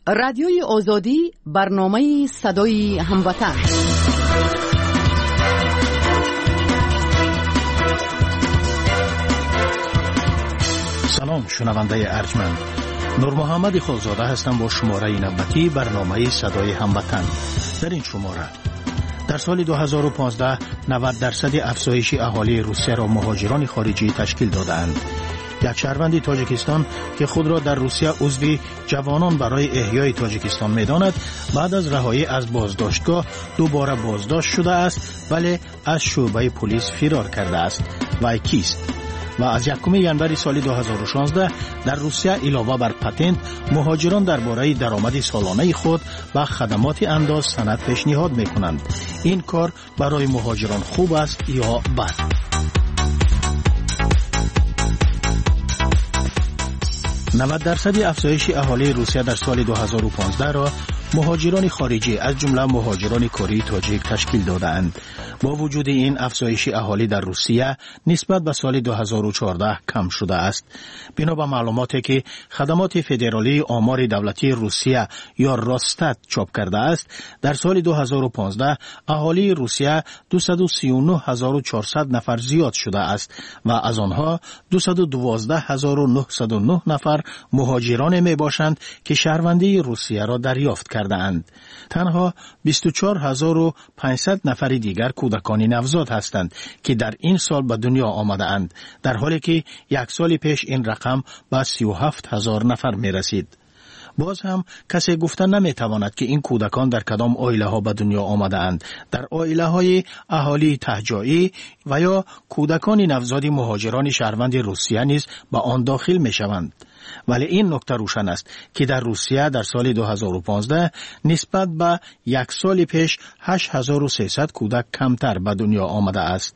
Радиои Озодӣ, барномаи садои ҳамватан. Салом, шунавандаи арҷманд. Нурмуҳаммад Холзода ҳастам бо шумораи навбатии барномаи садои ҳамватан. Дар ин шумора дар соли 2015 90% афзоиши аҳолии Русияро муҳоҷирони хориҷӣ ташкил додаанд. Як шаҳрванди Тоҷикистон, ки худро дар Русия узви ҷавонон барои эҳёи Тоҷикистон медонад, баъд аз раҳоӣ аз боздоштгоҳ дубора боздошт шудааст, вале аз шӯъбаи полис фирор кардааст. Вай кист? Ва аз 1 январи соли 2016 дар Русия илова бар патент муҳоҷирон дар бораи даромади солонаи худ ба хадамоти андоз санад пешниҳод мекунанд. Ин кор барои муҳоҷирон хуб аст ё бад? 90% афзоиши аҳолии Русия дар соли 2015 ро муҳоҷирони хориҷӣ, аз ҷумла муҳоҷирони кории тоҷик ташкил додаанд. Бо вуҷуди ин, афзоиши аҳолӣ дар Русия нисбат ба соли 2014 кам шудааст. Бино ба маълумоте, ки Хадамоти федералии омори давлатии Русия ё Росстат чоп кардааст, дар соли 2015 аҳолии Русия 239400 нафар зиёд шудааст ва аз онҳо 212909 нафар муҳоҷироне мебошанд, ки шаҳрвандии Русияро дарёфт кардаанд. Танҳо 24500 нафари дигар кӯдакони навзод ҳастанд, ки дар ин сол ба дунё омадаанд, дар ҳоле ки як соли пеш ин рақам ба 37000 нафар мерасид. Боз ҳам касе гуфта наметавонад, ки ин кӯдакон дар кадом оилаҳо ба дунё омадаанд: дар оилаҳои аҳолии таҳҷоӣ ва ё кӯдакони навзоди муҳоҷирони шаҳрванди Русия низ ба он дохил мешаванд. Вале ин нукта рӯшан аст, ки дар Русия дар соли 2015 нисбат ба як соли пеш 8300 кӯдак камтар ба дунё омадааст.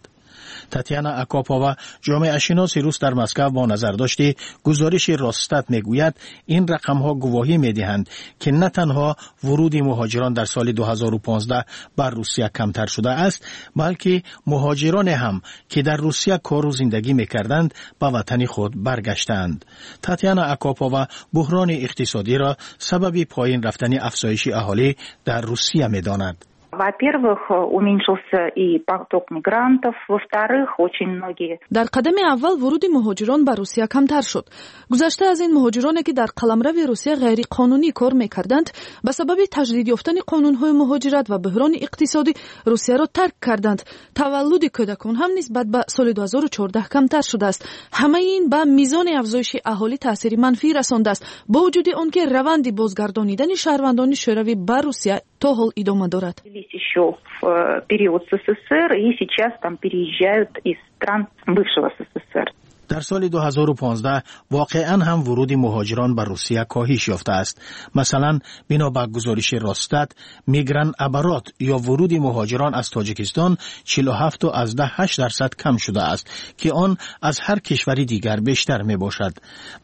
Татьяна Акопова, ҷомеашиноси рус дар Москав, бо назардошти гузориши Росстат мегӯяд, ин рақамҳо гувоҳӣ медиҳанд, ки на танҳо вуруди муҳоҷирон дар соли 2015 бар Русия камтар шудааст, балки муҳоҷироне ҳам, ки дар Русия кору зиндагӣ мекарданд, ба ватани худ баргаштаанд. Татьяна Акопова буҳрони иқтисодиро сабаби поин рафтани афзоиши аҳолӣ дар Русия медонад. Во-первых, уменьшился и поток мигрантов. Во-вторых, очень многие... Дар қадами аввал вуруди муҳоҷирон ба Русия камтар шуд. Гузашта аз ин, муҳоҷироне, ки дар қаламрави Русия ғайриқонунӣ кор мекарданд, ба сабаби таҷдид ёфтани қонунҳои муҳоҷират ва буҳрони иқтисодӣ Русияро тарк карданд. Таваллуди кӯдакон ҳам нисбат ба соли 2014 камтар шудааст. Ҳамаи ин ба мизони афзоиши аҳолӣ таъсири манфӣ расондааст, бо вуҷуди он ки раванди бозгардонидани шаҳрвандони Шӯравӣ ба Русия то ҳол идома дорад. Еще в период СССР и сейчас там переезжают из стран бывшего СССР. Дар соли 2015 воқеан ҳам вуруди муҳоҷирон ба Русия коҳиш ёфтааст. Масалан, бино ба гузориши Росстат, мигратоборот ё вуруди муҳоҷирон аз Тоҷикистон 47,8% кам шудааст, ки он аз ҳар кишвари дигар бештар мебошад.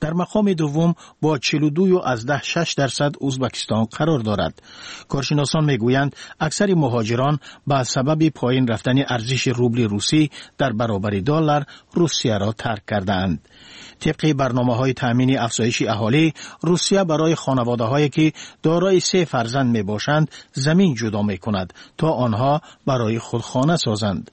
Дар мақоми дуввум бо 42,6% Узбакистон қарор дорад. Коршиносон мегӯянд, аксари муҳоҷирон ба сабаби поин рафтани арзиши рубли русӣ дар баробари доллар Русияро тарк кардаанд. Тибқи барномаҳои таъмини афзоиши аҳолӣ, Русия барои хонаводаҳое, ки дорои се фарзанд мебошанд, замин ҷудо мекунад, то онҳо барои худ хона созанд.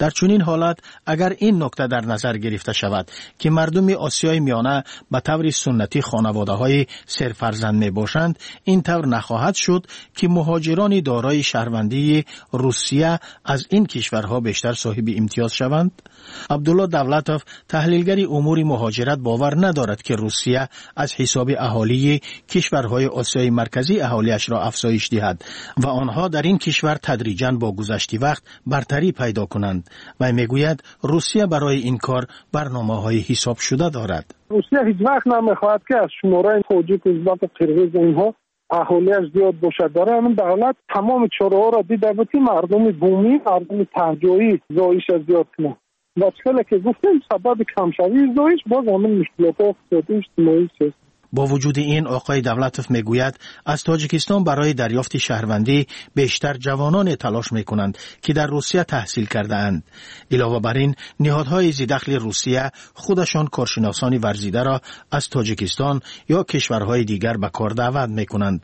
Дар чунин ҳолат, агар ин нукта дар назар гирифта шавад, ки мардуми Осиёи Миёна ба таври суннатӣ хонаводаҳои серфарзанд мебошанд, ин тавр нахоҳад шуд, ки муҳоҷирони дорои шаҳрвандии Русия аз ин кишварҳо бештар соҳиби имтиёз шаванд? Абдулло Давлатов, таҳлилгари умури муҳоҷират, бовар надорад, ки Русия аз ҳисоби аҳолии кишварҳои Осиёи Марказӣ аҳолиашро афзоиш диҳад ва онҳо дар ин кишвар тадриҷан бо гузашти вақт бартарӣ пайдо кунанд. Вай мегӯяд, Русия барои ин кор барномаҳои ҳисобшуда дорад. Русия ҳеҷ вақт намехоҳад, ки аз шумораи тоҷик, узбаку, қирғиз, инҳо аҳолиаш зиёд бошад. Барои ҳамин давлат тамоми чораҳоро дида буд, ки мардуми бумӣ, мардуми таҳҷоӣ зоиша зиёд кунад. Ва чӣ хеле ки гуфтем, сабаби камшавии зоиш боз ҳамин мушкилотҳои иқтисодӣ, иҷтимоӣ, сиёсӣ. Бо вуҷуди ин, оқои Давлатов мегӯяд, аз Тоҷикистон барои дарёфти шаҳрвандӣ бештар ҷавононе талош мекунанд, ки дар Русия таҳсил кардаанд. Илова бар ин, ниҳодҳои зидахли Русия худашон коршиносони варзидаро аз Тоҷикистон ё кишварҳои дигар ба кор даъват мекунанд.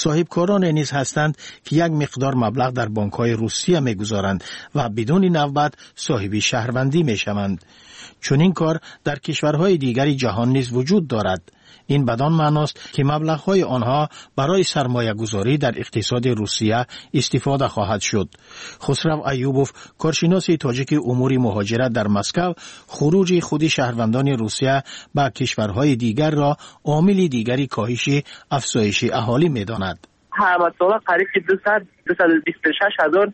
Соҳибкороне низ ҳастанд, ки як миқдор маблағ дар бонкҳои Русия мегузоранд ва бидуни навбат соҳиби шаҳрвандӣ мешаванд. Чунин кор дар кишварҳои дигари ҷаҳон низ вуҷуд дорад. Ин бадон маъност, ки маблағҳои онҳо барои сармоягузорӣ дар иқтисоди Русия истифода хоҳад шуд. Хусрав Аюбов, коршиноси тоҷики умури муҳоҷират дар Москав, хуруҷи худи шаҳрвандони Русия ба кишварҳои дигарро омили дигари коҳиши афзоиши аҳолӣ медонад. Ҳар сола қариб ки 226 ҳазор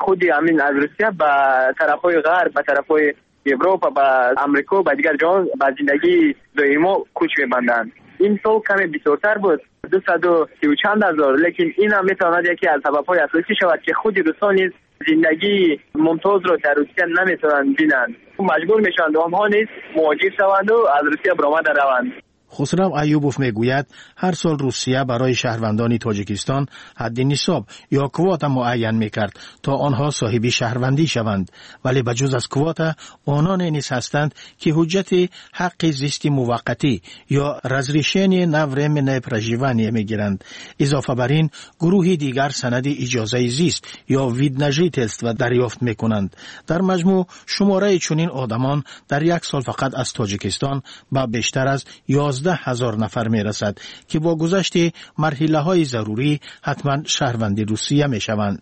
худи ҳамин аз Русия ба тарафҳои ғарб, ба тарафҳои Европа, ба Амрико, ба дигар ҷоҳо ба зиндагии доимо кӯч мебанданд. Ин сол каме бисёртар буд, 230 чанд ҳазор, лекин ин ҳам метавонад яке аз сабабҳои асосӣ шавад, ки худи русҳо низ зиндагии мумтозро дар Русия наметавонанд бинанд, маҷбур мешаванд онҳо низ муҳоҷир шаванду аз Русия баромада раванд. Хусрав Аюбов мегӯяд, ҳар сол Русия барои шаҳрвандони Тоҷикистон ҳадди нисоб ё квота муайян мекард, то онҳо соҳиби шаҳрвандӣ шаванд. Вале ба ҷуз аз квота, ононе низ ҳастанд, ки ҳуҷҷати ҳаққи зисти муваққатӣ ё разрешение на временное проживание мегиранд. Изофа бар ин, гурӯҳи дигар санади иҷозаи зист ё вид на жительство дарёфт мекунанд. Дар маҷмӯъ, шумораи чунин одамон дар як сол фақат аз Тоҷикистон ба бештар аз 11 000 нафар мерасад, ки бо гузашти марҳилаҳои зарурӣ ҳатман шаҳрванди Русия мешаванд.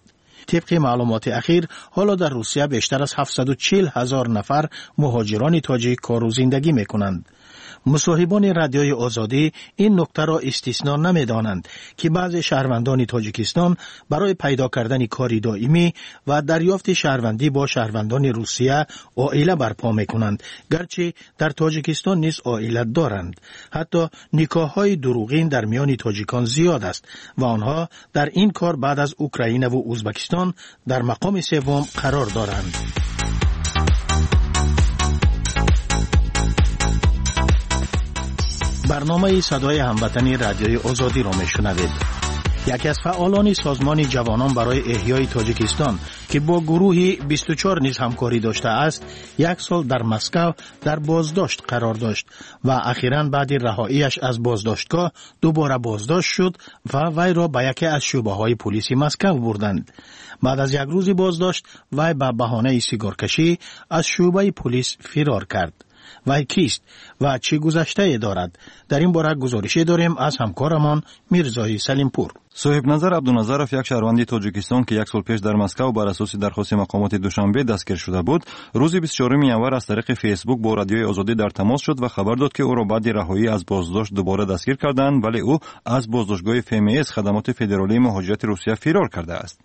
Тибқи маълумоти ахир, ҳоло дар Русия бештар аз 740 ҳазор нафар муҳоҷирони тоҷик кору зиндагӣ мекунанд. Мусоҳибони Радиои Озодӣ ин нуктаро истисно намедонанд, ки баъзе шаҳрвандони Тоҷикистон барои пайдо кардани кори доимӣ ва дарёфти шаҳрвандӣ бо шаҳрвандони Русия оила барпо мекунанд, гарчи дар Тоҷикистон низ оила доранд. Ҳатто никоҳҳои дурӯғин дар миёни тоҷикон зиёд аст ва онҳо дар ин кор баъд аз Украинаву Ӯзбекистон дар мақоми севум қарор доранд. Барномаи Садои ҳамватани Радиои Озодиро мешунавед. Яке аз фаъолони Созмони ҷавонон барои эҳёи Тоҷикистон, ки бо гурӯҳи 24 низ ҳамкорӣ доштааст, як сол дар Москав дар боздошт қарор дошт ва ахиран баъди раҳоияш аз боздоштгоҳ дубора боздошт шуд ва вайро ба яке аз шӯъбаҳои пулиси Москав бурданд. Баъд аз як рӯзи боздошт вай ба баҳонаи сигоркашӣ аз шӯъбаи пулис фирор кард. Вай кист ва чӣ гузаштае дорад? Дар ин бора гузорише дорем аз ҳамкорамон Мирзои Салимпур. Соҳибназар Абдуназаров, як шаҳрванди Тоҷикистон, ки як сол пеш дар Москав бар асоси дархости мақомоти Душанбе дастгир шуда буд, рӯзи 24 январ аз тариқи Фейсбук бо Радиои Озодӣ дар тамос шуд ва хабар дод, ки ӯро баъди раҳоӣ аз боздошт дубора дастгир карданд, вале ӯ аз боздоштгоҳи ФМС, Хадамоти федералии муҳоҷирати Русия, фирор кардааст.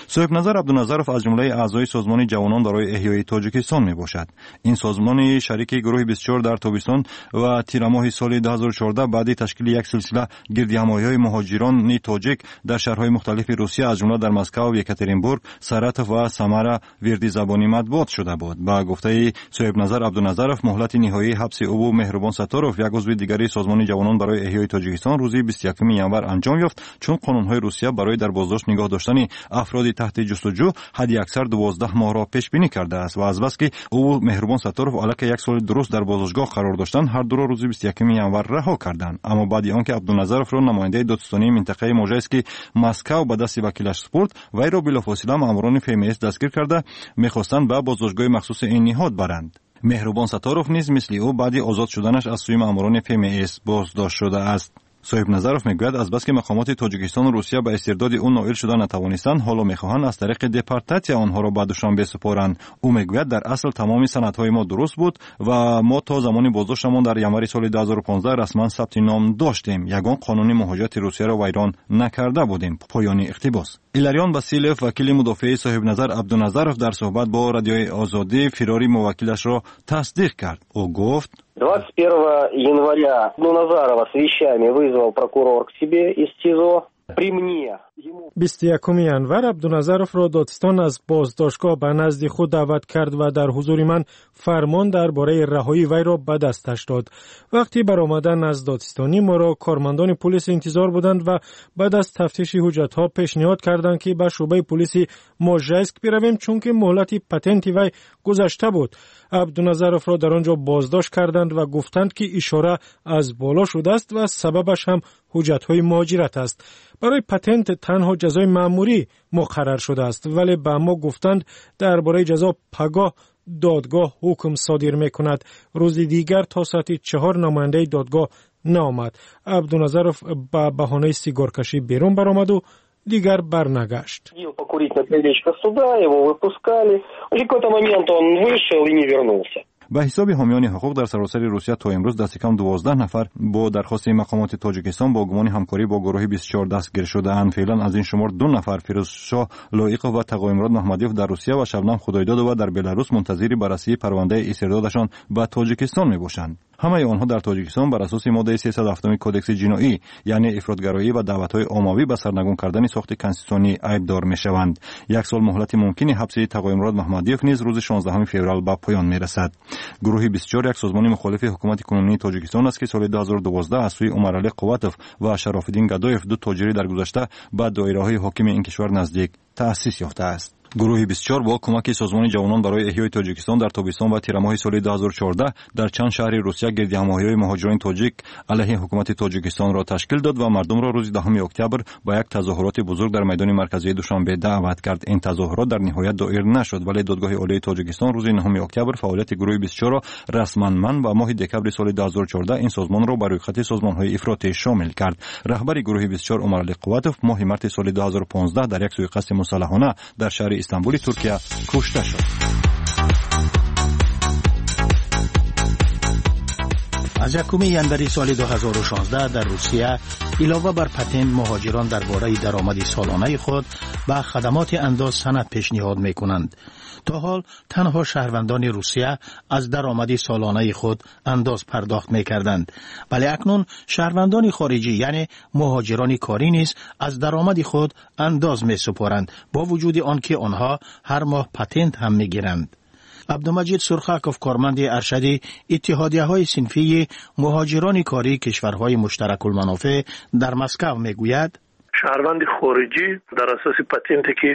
Соҳибназар Абдуназаров аз ҷумлаи аъзои Созмони ҷавонон барои эҳёи Тоҷикистон мебошад. Ин созмони шарики гурӯҳи 24 дар тобистон ва тирамоҳи соли 2014 баъди ташкили як силсила гирдиҳамоиҳои муҳоҷирони тоҷик дар шаҳрҳои мухталифи Русия, аз ҷумла дар Москав, Екатеринбург, Саратов ва Самара, вирди забони матбуот шуда буд. Ба гуфтаи Соҳибназар Абдуназаров, муҳлати ниҳоии ҳабси ӯву Меҳрубон Сатторов, як узви дигари Созмони ҷавонон барои эҳёи Тоҷикистон, рӯзи 21 январ анҷом ёфт, чун қонунҳои Русия барои дар боздошт нигоҳ доштани афроди таҳти ҷустуҷӯ ҳадди аксар 12 моҳро пешбинӣ кардааст ва азбаски ӯ Меҳрубон Сатторов аллакай як соли дуруст дар боздоштгоҳ қарор доштанд, ҳар дуро рӯзи 21 январ раҳо карданд. Аммо баъди он ки Абдуназаровро намояндаи додситонии минтақаи Можайски Москав ба дасти вакилаш супурд, вайро билофосила маъмурони ФМС дастгир карда, мехостанд ба боздоштгоҳи махсуси ин ниҳод баранд. Меҳрубон Сатторов низ мисли ӯ баъди озод шуданаш аз сӯи маъмурони ФМС боздошт шудааст. Соҳибназаров мегӯяд, азбаски мақомоти Тоҷикистону Русия ба истирдоди ӯ ноил шуда натавонистанд, ҳоло мехоҳанд аз тариқи депортатсия онҳоро ба Душанбе супоранд. Ӯ мегӯяд, дар асл тамоми санадҳои мо дуруст буд ва мо то замони боздоштамон дар январи соли 2015 расман сабти ном доштем, ягон қонуни муҳоҷирати Русияро вайрон накарда будем. Поёни иқтибос. Иларион Василев, вакили мудофиаи Соҳибназар Абдуназаров, дар суҳбат бо Радиои Озодӣ фирори муваккилашро тасдиқ кард. Ӯ гуфт: 21 января Абдуназарова с вещами вызвал прокурор к себе из СИЗО. При мне. 21 январ Абдуназаровро додстон аз боздоштгоҳ ба назди худ даъват кард ва дар ҳузури ман фармон дар бораи раҳоии вайро ба дасташ дод. Вақти баромадан аз додстонӣ моро кормандони пулис интизор буданд ва баъд аз тафтиши ҳуҷҷатҳо пешниҳод карданд, ки ба шӯъбаи пулиси Можайск биравем, чунки муҳлати патенти вай гузашта буд. Абдуназаровро дар он ҷо боздошт карданд ва гуфтанд, ки ишора аз боло шудааст ва сабабаш ҳам ҳуҷҷатҳои муҳоҷират аст. Барои патент танҳо ҷазои маъмурӣ муқаррар шудааст, вале ба мо гуфтанд дар бораи ҷазо пагоҳ додгоҳ ҳукм содир мекунад. Рӯзи дигар то соати 4 намояндаи додгоҳ наомад. Абдуназаров ба баҳонаи сигоркашӣ берун баромаду дигар барнагашт. Покурить на крылечко суда, его выпускали. В какой-то момент он вышел и не вернулся. Ба ҳисоби ҳомиёни ҳуқуқ дар саросари Русия то имрӯз дасти кам 12 нафар бо дархости мақомоти Тоҷикистон бо гумони ҳамкорӣ бо гурӯҳи 24 дастгир шудаанд. Феълан аз ин шумор 2 нафар, Фирӯзшоҳ Лоиқов ва Тағоимурод Маҳмадиёв дар Русия ва Шабнам Худойдодова дар Беларус мунтазири баррасии парвандаи истирдодашон ба Тоҷикистон мебошанд. Ҳамаи онҳо дар Тоҷикистон бар асоси моддаи 307 Кодекси ҷиноӣ, яъне ифротгароӣ ва даъватҳои оммавӣ ба сарнагун кардани сохти конститутсионӣ айбдор мешаванд. Як сол муҳлати мумкини ҳабси Тағоимурод Маҳмадиёв низ рӯзи 16 феврал ба поён мерасад. Гурӯҳи 24 як созмони мухолифи ҳукумати кунунии Тоҷикистон аст, ки соли 2012 аз сӯи Умаралӣ Қувватов ва Шарофиддин Гадоев, ду тоҷири дар гузашта ба доираҳои ҳокими ин кишвар наздик, таъсис ёфтааст. Гурӯҳи 24 бо кӯмаки созмони ҷавонон барои эҳёи Тоҷикистон дар тобистон ва тирамоҳи соли 2014 дар чанд шаҳри Русия гирдиҳамоҳиҳои муҳоҷирони тоҷик алайҳи ҳукумати Тоҷикистонро ташкил дод ва мардумро рӯзи 10 октябр ба як тазоҳуроти бузург дар майдони марказии Душанбе даъват кард. Ин тазоҳурот дар ниҳоят доир нашуд, вале Додгоҳи Олии Тоҷикистон рӯзи 9 октябр фаъолияти гурӯҳи 24-ро расман манъ ва моҳи декабри соли 2014 ин созмонро ба рӯйхати созмонҳои ифротӣ шомил кард. Раҳбари гурӯҳи 24 Умаралӣ Қувватов моҳи марти соли 2015 дар як суиқасди мусаллаҳона дар шаҳри Истанбули Туркия кушта шуд. Аз 1 январи соли 2016 дар Русия илова бар патент муҳоҷирон дар бораи даромади солонаи худ ба хадамоти андоз санад пешниҳод мекунанд. То ҳол танҳо шаҳрвандони Русия аз даромади солонаи худ андоз пардохт мекарданд, вале акнун шаҳрвандони хориҷӣ, яъне муҳоҷирони корӣ низ аз даромади худ андоз месупоранд, бо вуҷуди он ки онҳо ҳар моҳ патент ҳам мегиранд. Абдумаҷид Сурхаков, корманди аршади иттиҳодияҳои синфии муҳоҷирони кории кишварҳои муштаракулманофеъ дар Москав, мегӯяд: Шаҳрванди хориҷӣ дар асоси патенте ки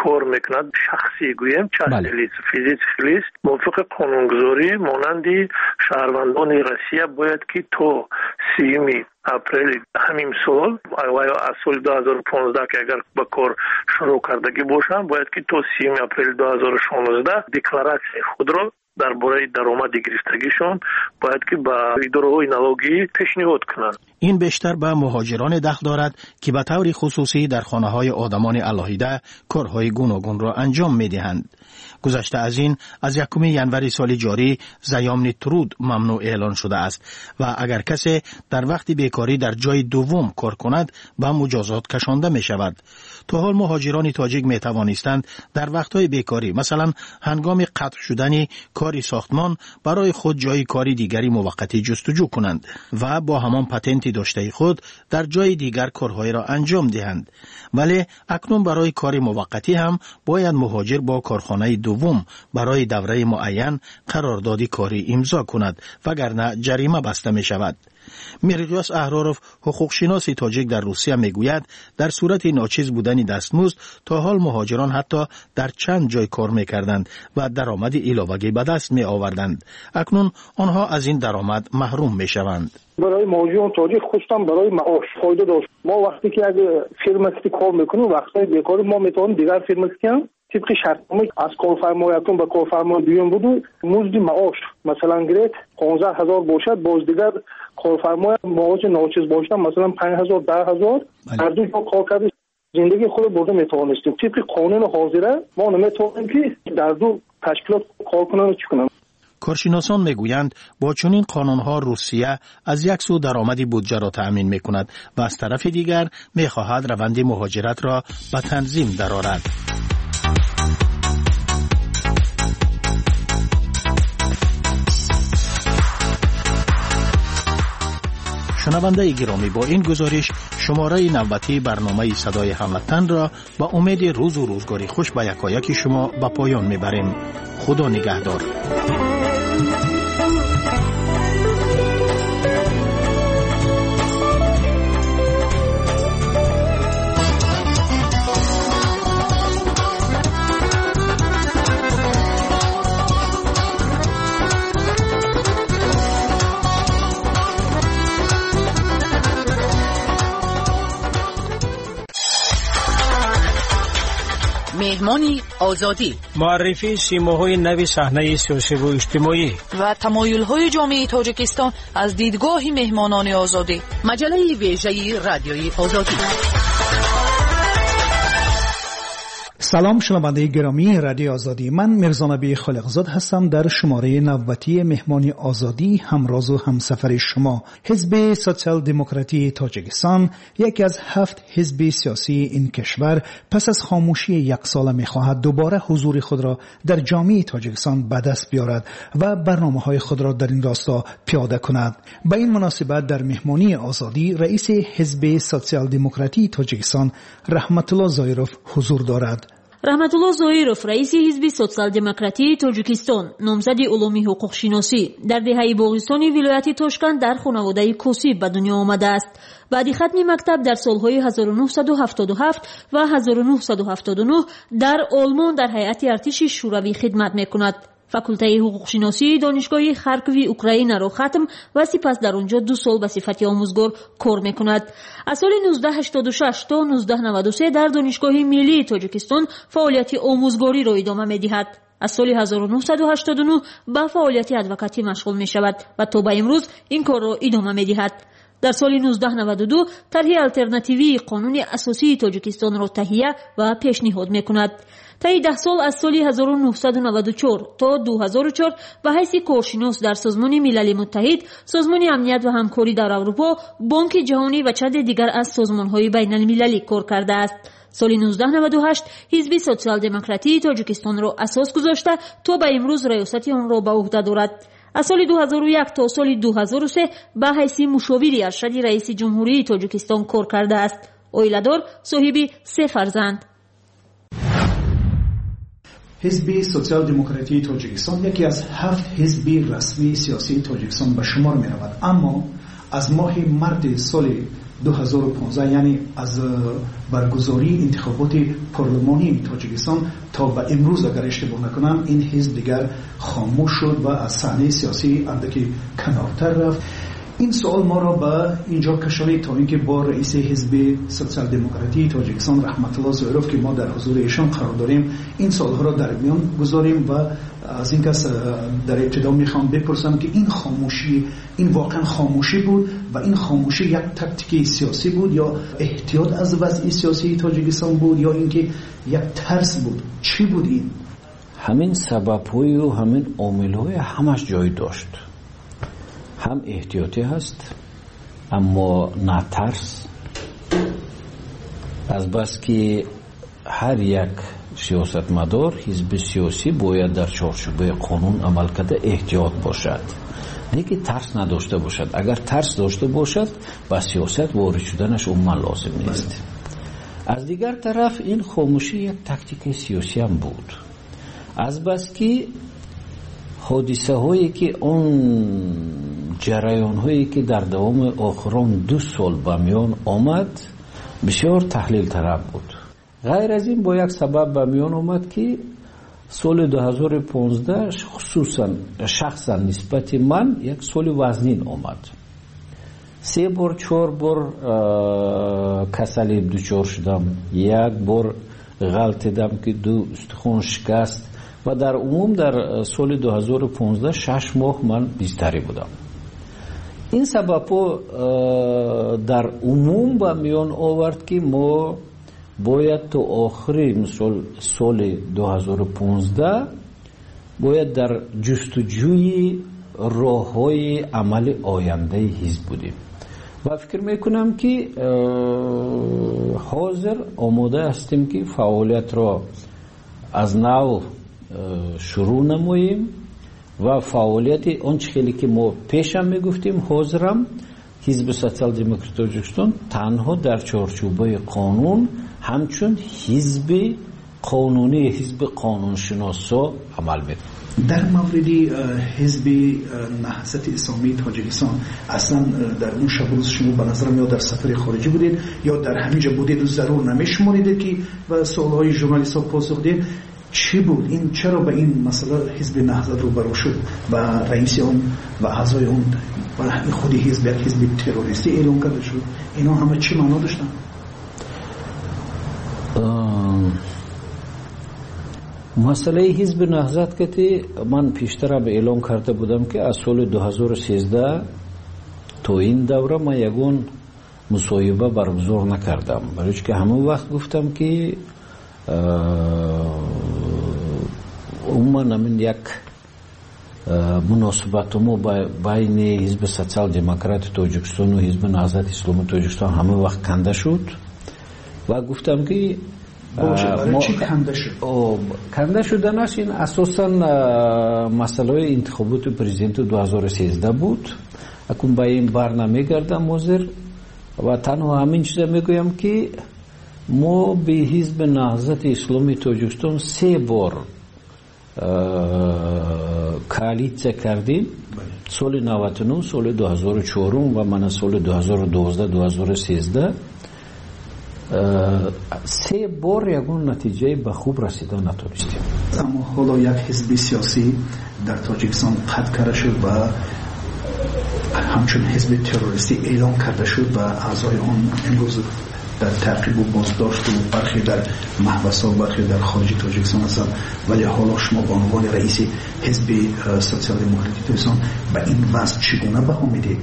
кор мекунад, шахсӣ гӯем, частный лиц, физический лиц, мувофиқи қонунгузорӣ монанди шаҳрвандони Россия бояд ки то 30 апрели ҳамин сол ва ё аз соли 2015 ки агар ба кор шурӯъ кардагӣ бошанд, бояд ки то 30 апрели 2016 декларатсияи худро дар бораи даромади гирифтагишон бояд ки ба идораҳои налогӣ пешниҳод кунанд. Ин бештар ба муҳоҷироне дахл дорад, ки ба таври хусусӣ дар хонаҳои одамони алоҳида корҳои гуногунро анҷом медиҳанд. Гузашта аз ин, аз 1 январи соли ҷорӣ заёмный труд мамнӯъ эълон шудааст ва агар касе дар вақти бекорӣ дар ҷои дуввум кор кунад, ба муҷозот кашонда мешавад. То ҳол муҳоҷирони тоҷик метавонистанд дар вақтҳои бекорӣ, масалан ҳангоми қатъ шудани кори сохтмон, барои худ ҷои кори дигари муваққатӣ ҷустуҷӯ кунанд ва бо ҳамон патенти доштаи худ дар ҷои дигар корҳоеро анҷом диҳанд. Вале акнун барои кори муваққатӣ ҳам бояд муҳоҷир бо корхонаи дуввум барои давраи муайян қарордоди корӣ имзо кунад, вагарна ҷарима баста мешавад. Мирғиёс Аҳроров, ҳуқуқшиноси тоҷик дар Русия, мегӯяд, дар сурати ночиз будани дастмузд то ҳол муҳоҷирон ҳатто дар чанд ҷой кор мекарданд ва даромади иловагӣ ба даст меоварданд. Акнун онҳо аз ин даромад маҳрум мешаванд. Барои муҳоҷирон тоҷик, хусусан барои маош фоида дошт. Мо вақте ки як фирма ки кор мекунем, вақтҳои бекорӣ мо метавонем дигар фирма ки тибқи шартнома аз корфармои якум ба корфармои дуюм буду музди маош, масалан, гиред, 15 000 бошад, боз дигар корфармои маоши ночиз бошад, масалан, 5000, 10 000, ҳар ду ҷо кор карда зиндагии худро бурда метавонистем. Тибқи қонуни ҳозира мо наметавонем ки дар ду ташкилот кор кунам, чӣ кунам. Коршиносон мегӯянд, бо чунин қонунҳо Русия аз як сӯ даромади буҷаро таъмин мекунад ва аз тарафи дигар мехоҳад раванди муҳоҷиратро ба танзим дарорад. Шунавандаи гиромӣ, бо ин гузориш шумораи навбатии барномаи «Садои ҳамватан»ро ба умеди рӯзу рӯзгори хуш ба якояки шумо ба поён мебарем. Худо нигаҳдор. Меҳмони Озодӣ. Муаррифии симоҳои нави саҳнаи сиёсиву иҷтимоӣ ва тамоюлҳои ҷомеаи Тоҷикистон аз дидгоҳи меҳмонони Озодӣ. Маҷаллаи вежаи Радиои Озодӣ. Салом, шунавандаи гиромии Радиои Озодӣ. Ман Мирзонаби Холиқзод ҳастам. Дар шумораи навбатии Меҳмони Озодӣ ҳамрозу ҳамсафари шумо. Ҳизби Социал-демократии Тоҷикистон, яке аз ҳафт ҳизби сиёсии ин кишвар, пас аз хомӯшии яксола мехоҳад дубора ҳузури худро дар ҷомеаи Тоҷикистон ба даст биёрад ва барномаҳои худро дар ин росто пиёда кунад. Ба ин муносибат дар Меҳмонии Озодӣ раиси Ҳизби Социал-демократии Тоҷикистон Раҳматулло Зоиров ҳузур дорад. Раҳматулло Зоиров, раиси Ҳизби Социал-демократии Тоҷикистон, номзади улуми ҳуқуқшиносӣ, дар деҳаи Боғистони вилояти Тошканд дар хонаводаи косиб ба дунё омадааст. Баъди хатми мактаб дар солҳои 1977 ва 1979 дар Олмон дар ҳайати артиши Шӯравӣ хидмат мекунад. Факултаи ҳуқуқшиносии Донишгоҳи Харкови Украинаро хатм ва сипас дар он ҷо 2 сол ба сифати омӯзгор кор мекунад. Аз соли 1986 то 1993 дар Донишгоҳи Миллии Тоҷикистон фаъолияти омӯзгориро идома медиҳад. Аз соли 1989 ба фаъолияти адвокатӣ машғул мешавад ва то ба имрӯз ин корро идома медиҳад. Дар соли 1992 тарҳи алтернативии қонуни асосии Тоҷикистонро таҳия ва пешниҳод мекунад. Таи 10 сол, аз соли 1994 то 2004, ба ҳайси коршинос дар Созмони Милали Муттаҳид, Созмони Амният ва ҳамкорӣ дар Аврупо, Бонки Ҷаҳонӣ ва чанде дигар аз созмонҳои байналмилалӣ кор кардааст. Соли 1998 Ҳизби Социал-демократии Тоҷикистонро асос гузошта, то ба имрӯз раёсати онро ба уҳда дорад. Аз соли 2001 то соли 2003 ба ҳайси мушовири аршади раиси Ҷумҳурии Тоҷикистон кор кардааст. Оиладор, соҳиби 3 фарзанд. Ҳизби Социал-демократии Тоҷикистон яке аз ҳафт ҳизби расмии сиёсии Тоҷикистон ба шумор меравад, аммо аз моҳи марти соли 2015, яъне аз баргузории интихоботи парлумонии Тоҷикистон то ба имрӯз, агар иштибоҳ накунам, ин ҳизб дигар хомӯш шуд ва аз саҳнаи сиёсӣ андаке канортар рафт. Ин суол моро ба инҷо кашонид, то инки бо раиси Ҳизби Социал-демократии Тоҷикистон Раҳматулло Зоиров, ки мо дар ҳузури эшон қарор дорем, ин суолҳоро дар миён гузорем. Ва аз ин кас дар ибтидо мехоҳам бипурсам, ки ин хомӯшӣ, ин воқеан хомӯшӣ буд ва ин хомӯшӣ як тактики сиёсӣ буд ё эҳтиёт аз вазъи сиёсии Тоҷикистон буд ё инки як тарс буд? Чӣ буд ин? Ҳамин сабабҳою ҳамин омилҳои ҳамаш ҷой дошт. Ҳам эҳтиётӣ ҳаст, аммо на тарс. Азбаски ҳар як сиёсатмадор, ҳизби сиёсӣ бояд дар чорчӯбаи қонун амал карда эҳтиёт бошад, лекин тарс надошта бошад. Агар тарс дошта бошад, ба сиёсат ворид шуданаш умуман лозим нест. Аз дигар тараф, ин хомӯшӣ як тактикаи сиёсиам буд. Азбаски ҳодисаҳое ки он ҷараёнҳое ки дар давоми охирон 2 сол ба миён омад, бисёр таҳлилталаб буд. Ғайр аз ин, бо як сабаб ба миён омад, ки соли 2015 хусусан шахсан нисбати ман як соли вазнин омад. 3 бор, 4 бор касалӣ дучор шудам, як бор ғалтидам, ки 2 устухон шикаст ва дар умум дар соли 2015 6 моҳ ман бистарӣ будам. Ин сабабҳо дар умум ба миён овард, ки мо бояд то охири мисол соли 2015 бояд дар ҷустуҷӯи роҳҳои амали ояндаи ҳизб будем. Ва фикр мекунам, ки ҳозир омода ҳастем, ки фаъолиятро аз нав шурӯъ намоем ва фаъолияти он чӣ хеле ки мо пешам мегуфтем, ҳозирам Ҳизби Социал-Демократи Тоҷикистон танҳо дар чорчӯбаи қонун ҳамчун ҳизби қонунӣ, ҳизби қонуншиносо амал мекунад. Дар мавриди Ҳизби Наҳзати Исломии Тоҷикистон аслан дар он шаб рӯз шумо ба назарам ё дар сафари хориҷӣ будед ё дар ҳамин ҷо будед ва зарур намешуморидед ки ба суолҳои журналистҳо посух диҳед. Чӣ буд ин? Чаро ба ин масъала Ҳизби Наҳзат рӯбарӯ шуд ва раиси он ва аъзои он ва худи ҳизб як ҳизби террористӣ эълон карда шуд? Инҳо ҳама чӣ маъно доштанд? Масъалаи Ҳизби Наҳзат ки ман пештар эълон карда будам ки аз соли 2013 то ин давра ман ягон мусоҳиба баргузор накардам, барои ки ҳамон вақт гуфтам ки умуман ҳамин як муносибати мо байни Ҳизби Социал-Демократи Тоҷикистону Ҳизби Наҳзати Исломии Тоҷикистон ҳамон вақт канда шуд ва гуфтам ки канда шуданаш ин асосан масъалаҳои интихоботи президенти 2013 буд. Акун ба ин бар намегардам ҳозир ва танҳо ҳамин чиза мегӯям ки мо бе Ҳизби Наҳзати Исломии Тоҷикистон се бор коалитсия кардем, соли 99, соли 2004 ва мана соли 2012-2013. Се бор ягон натиҷаи ба хуб расида натонистем. Аммо ҳоло як ҳизби сиёсӣ дар Тоҷикистон қатъ карда шуд ва ҳамчун ҳизби террористӣ эълон карда шуд ва аъзои он имрӯз дар таъқибу боздошту бархе дар маҳбасҳо, бархе дар хориҷи Тоҷикистон ҳастанд. Вале ҳоло шумо ба унвони раиси Ҳизби Социал-Демократии Тоҷикистон ба ин вазъ чӣ гуна баҳо медиҳед?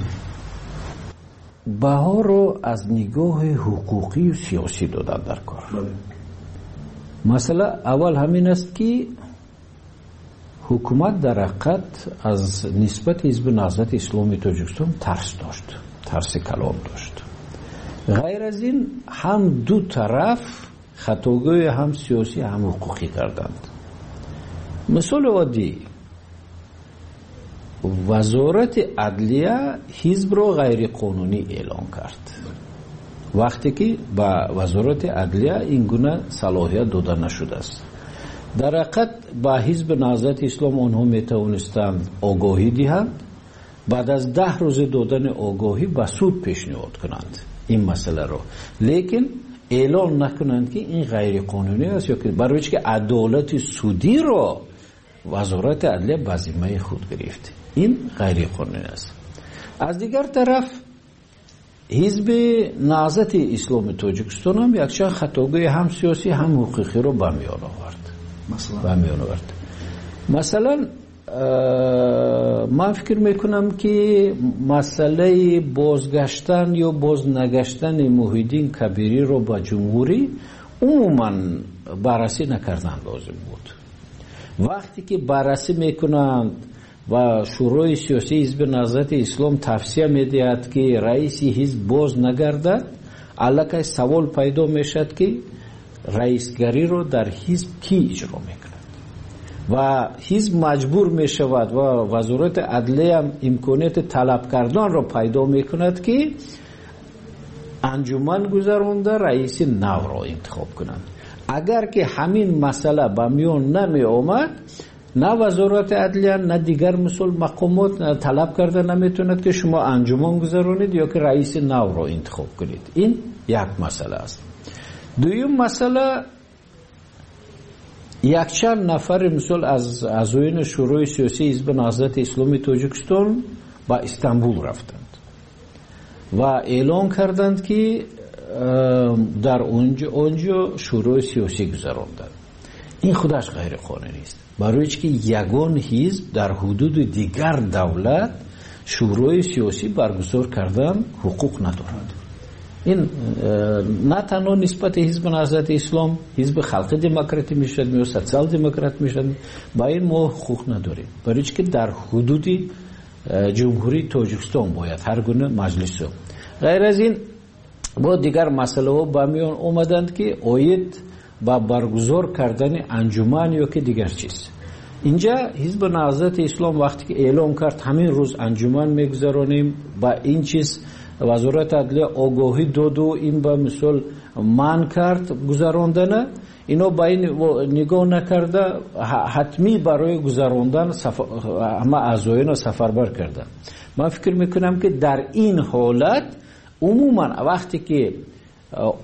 Баҳоро аз нигоҳи ҳуқуқию сиёсӣ додан дар кор. Масъала аввал ҳамин аст ки ҳукумат дар ҳақиқат аз нисбати Ҳизби Наҳзати Исломии Тоҷикистон тарс дошт, тарси калон дошт. Ғайр аз ин ҳам ду тараф хатогӯи ҳам сиёсӣ ҳам ҳуқуқӣ карданд. Мисоли оддӣ, Вазорати адлия ҳизбро ғайриқонунӣ эълон кард вақте ки ба Вазорати адлия ин гуна салоҳият дода нашудааст. Дар ҳақиқат ба Ҳизби Наҳзати Ислом онҳо метавонистанд огоҳӣ диҳанд, баъд аз 10 рӯзи додани огоҳӣ ба суд пешниҳод кунанд ин масъаларо, лекин эълон накунанд ки ин ғайриқонунӣ аст ё ки барои ки адолати судиро Вазорати адлия ба зиммаи худ гирифт. Ин ғайриқонунӣ аст. Аз дигар тараф Ҳизби Наҳзати Исломии Тоҷикистон ҳам якчанд хатогӯи ҳам сиёсӣ ҳам ҳуқуқиро ба миён овард. Масалан, ман фикр мекунам ки масъалаи бозгаштан ё бознагаштани Муҳиддин Кабириро ба ҷумҳурӣ умуман баррасӣ накардан лозим буд. Вақте ки баррасӣ мекунанд ва Шӯрои сиёсии Ҳизби Наҳзати Ислом тавсия медиҳад ки раиси ҳизб боз нагардад, аллакай савол пайдо мешавад ки раисгариро дар ҳизб кӣ иҷро мекунад ва ҳизб маҷбур мешавад ва Вазорати адлия имконияти талаб карданро пайдо мекунад ки анҷуман гузаронда раиси навро интихоб кунанд. Агар ки ҳамин масъала ба миён намеомад, на Вазорати адлия, на дигар мисол мақомот талаб карда наметавонад ки шумо анҷуман гузаронед ё ки раиси навро интихоб кунед. Ин як масъала аст. Дуюм масъала, якчанд нафари мисол аз аъзоёни Шӯрои сиёсии Ҳизби Наҳзати Исломии Тоҷикистон ба Истанбул рафтанд ва эълон карданд ки дар онҷо шӯрои сиёсӣ гузаронданд. Ин худаш ғайриқонунӣ аст, барои ки ягон ҳизб дар ҳудуди дигар давлат шӯрои сиёсӣ баргузор кардан ҳуқуқ надорад. Ин на танҳо нисбати Ҳизби Наҳзати Ислом, Ҳизби Халқи Демократӣ мешавад ё Социал-Демократ мешавад, ба ин мо ҳуқуқ надорем, барои ки дар ҳудуди Ҷумҳурии Тоҷикистон бояд ҳар гуна маҷлисо. Ғайр аз ин бо дигар масъалаҳо ба миён омаданд ки оид ба баргузор кардани анҷуман ё ки дигар чиз. Инҷа Ҳизби Наҳзати Ислом вақте ки эълон кард ҳамин рӯз анҷуман мегузаронем, ба ин чиз Вазорати адлия огоҳӣ доду ин ба мисол манъ кард гузарондана, ино ба ин нигоҳ накарда ҳатмӣ барои гузарондан ҳама аъзоёнро сафарбар карданд. Ман фикр мекунам, ки дар ин ҳолат умуман вақте ки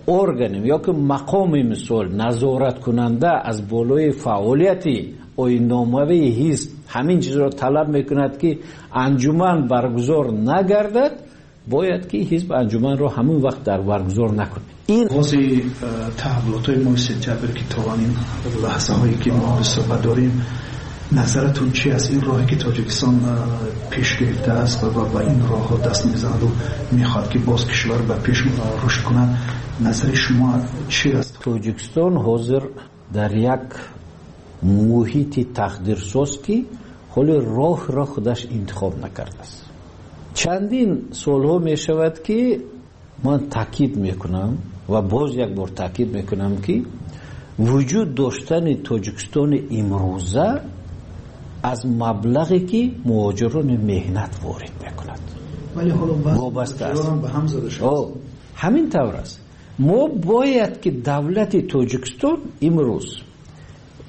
орган ё ки мақоми мисол назораткунанда аз болои фаъолияти оинномавии ҳизб ҳамин чизро талаб мекунад, ки анҷуман баргузор нагардад, бояд ки ҳизб анҷуманро ҳамон вақт дар баргузор накунад. Ин оғози таҳаввулотҳои моҳи сентябр, ки то ин лаҳзаҳое ки мо суҳбат дорем, назаратон чи аст? Ин роҳе ки Тоҷикистон пеш гирифтааст ва ба ин роҳҳо даст мезанаду мехоҳад, ки боз кишвар ба пеш рушд кунад, назари шумо чи аст? Тоҷикистон ҳозир дар як муҳити тақдирсоз, ки ҳоли роҳро худаш интихоб накардааст. Чандин солҳо мешавад, ки ман таъкид мекунам ва боз як бор таъкид мекунам, ки вуҷуд доштани Тоҷикистони имрӯза аз маблағе, ки муҳоҷирони меҳнат ворид мекунад, вобаста аст. Ҳамин тавр аст. Мо бояд ки давлати Тоҷикистон имрӯз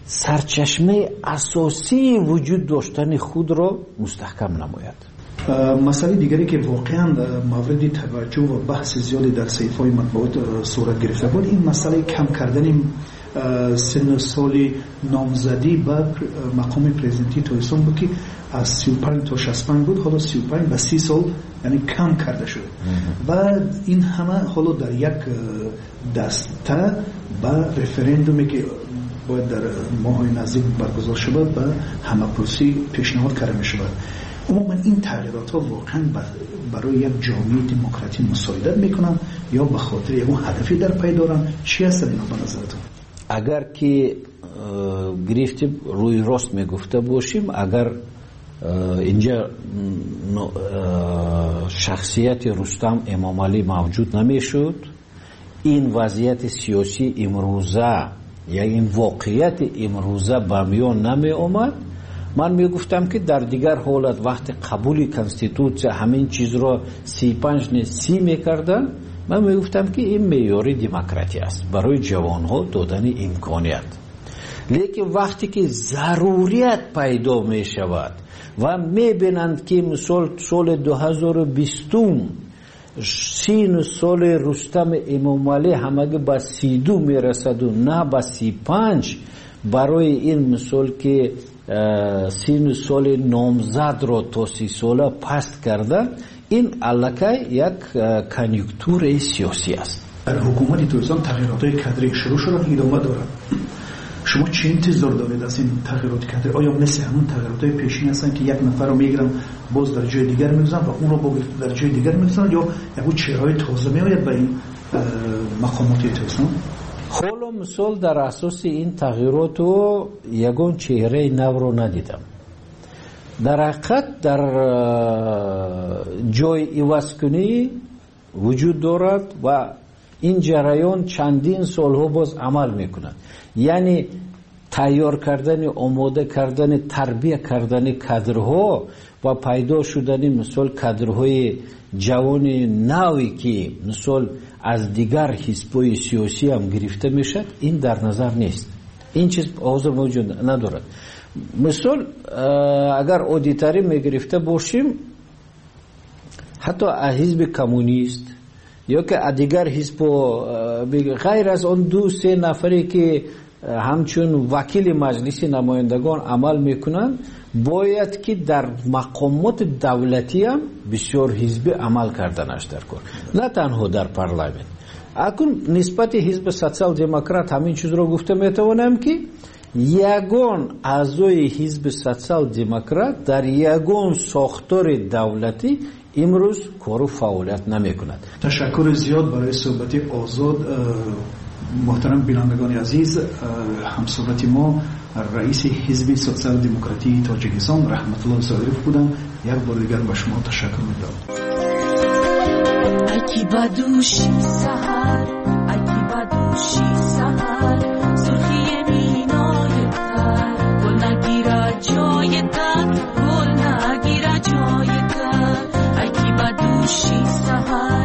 сарчашмаи асосии вуҷуд доштани худро мустаҳкам намояд. Масъалаи дигаре, ки воқеан мавриди таваҷҷӯҳ ва баҳси зиёде дар саҳифаҳои матбуот сурат гирифта буд, ин масъалаи кам кардани синну соли номзадӣ ба мақоми президентии Тоҷикистон буд, ки аз 35 то 65 буд, ҳоло 35 ба 30 сол, яъне кам карда шуд. Ва ин ҳама ҳоло дар як даста ба референдуме, ки бояд дар моҳҳои наздик баргузор шавад, ба ҳамапурсӣ пешниҳод карда мешавад. Умуман ин тағйиротҳо воқеан барои як ҷомеаи демократӣ мусоидат мекунанд ё ба хотири ягон ҳадафе дар пай доранд? Чӣ ҳастанд ино ба назаратон? Агар ки гирифти рӯи рост мегуфта бошем, агар инҷа шахсияти Рустам Эмомалӣ мавҷуд намешуд, ин вазъияти сиёсии имрӯза я ин воқеияти имрӯза ба миён намеомад, ман мегуфтам, ки дар дигар ҳолат, вақти қабули конститутсия ҳамин чизро 35 не, 30 мекарданд, ман мегуфтам, ки ин меъёри демократия аст барои ҷавонҳо додани имконият. Лекин вақте ки зарурият пайдо мешавад ва мебинанд, ки мисол соли 2020-ум сину соли Рустам Эмомалӣ ҳамагӣ ба 32 мерасаду на ба 35, барои ин мисол ки сину соли номзадро то 30 сола паст карда, ин аллакай як конъюнктураи сиёсӣ аст. Дар ҳукумати Тоҷикистон тағйиротҳои кадрӣ шурӯъ шуданд, идома дорад. Шумо чӣ интизор доред аз ин тағйироти кадрӣ? Оё мисли ҳамон тағйиротҳои пешин ҳастанд, ки як нафарро мегиранд, боз дар ҷои дигар мегузоранд ва онро дар ҷои дигар мегузоранд, ё ягон чеҳраҳои тоза меояд ба ин мақомоти Тоҷикистон? Ҳоло мисол дар асоси ин тағйироту ягон чеҳраи навро надидам. Дар ҳақиқат дар ҷои ивазкунӣ вуҷуд дорад ва ин ҷараён чандин солҳо боз амал мекунад, яъне тайёр кардани, омода кардани, тарбия кардани кадрҳо ва пайдо шудани мисол кадрҳои ҷавони наве, ки мисол аз дигар ҳизбҳои сиёсӣ ҳам гирифта мешавад, ин дар назар нест. Ин чиз ҳозир мавҷуд надорад. Мисол агар оддитарин мегирифта бошем, ҳатто аз ҳизби коммунист ё ки аз дигар ҳизбҳо, ғайр аз он ду се нафаре, ки ҳамчун вакили Маҷлиси намояндагон амал мекунанд, бояд ки дар мақомоти давлатиам бисёр ҳизбӣ амал карданаш дар кор, на танҳо дар парламент. Акун нисбати ҳизби Социал-демократ ҳамин чизро гуфта метавонам, ки ягон аъзои ҳизби Социал-демократ дар ягон сохтори давлатӣ имрӯз кору фаъолият намекунад. Ташаккури зиёд барои суҳбати озод. Муҳтарам бинандагони азиз, ҳамсуҳбати мо раиси ҳизби Социал-демократии Тоҷикистон Раҳматулло Зоиров буданд. Як бори дигар ба шумо ташаккур медиҳам. Ай ки ба дӯши саҳар, ай ки ба дӯши саҳар, сурхии минои тар, гул нагирад ҷои тар, гул нагирад ҷои тар, ай ки ба дӯши саҳар.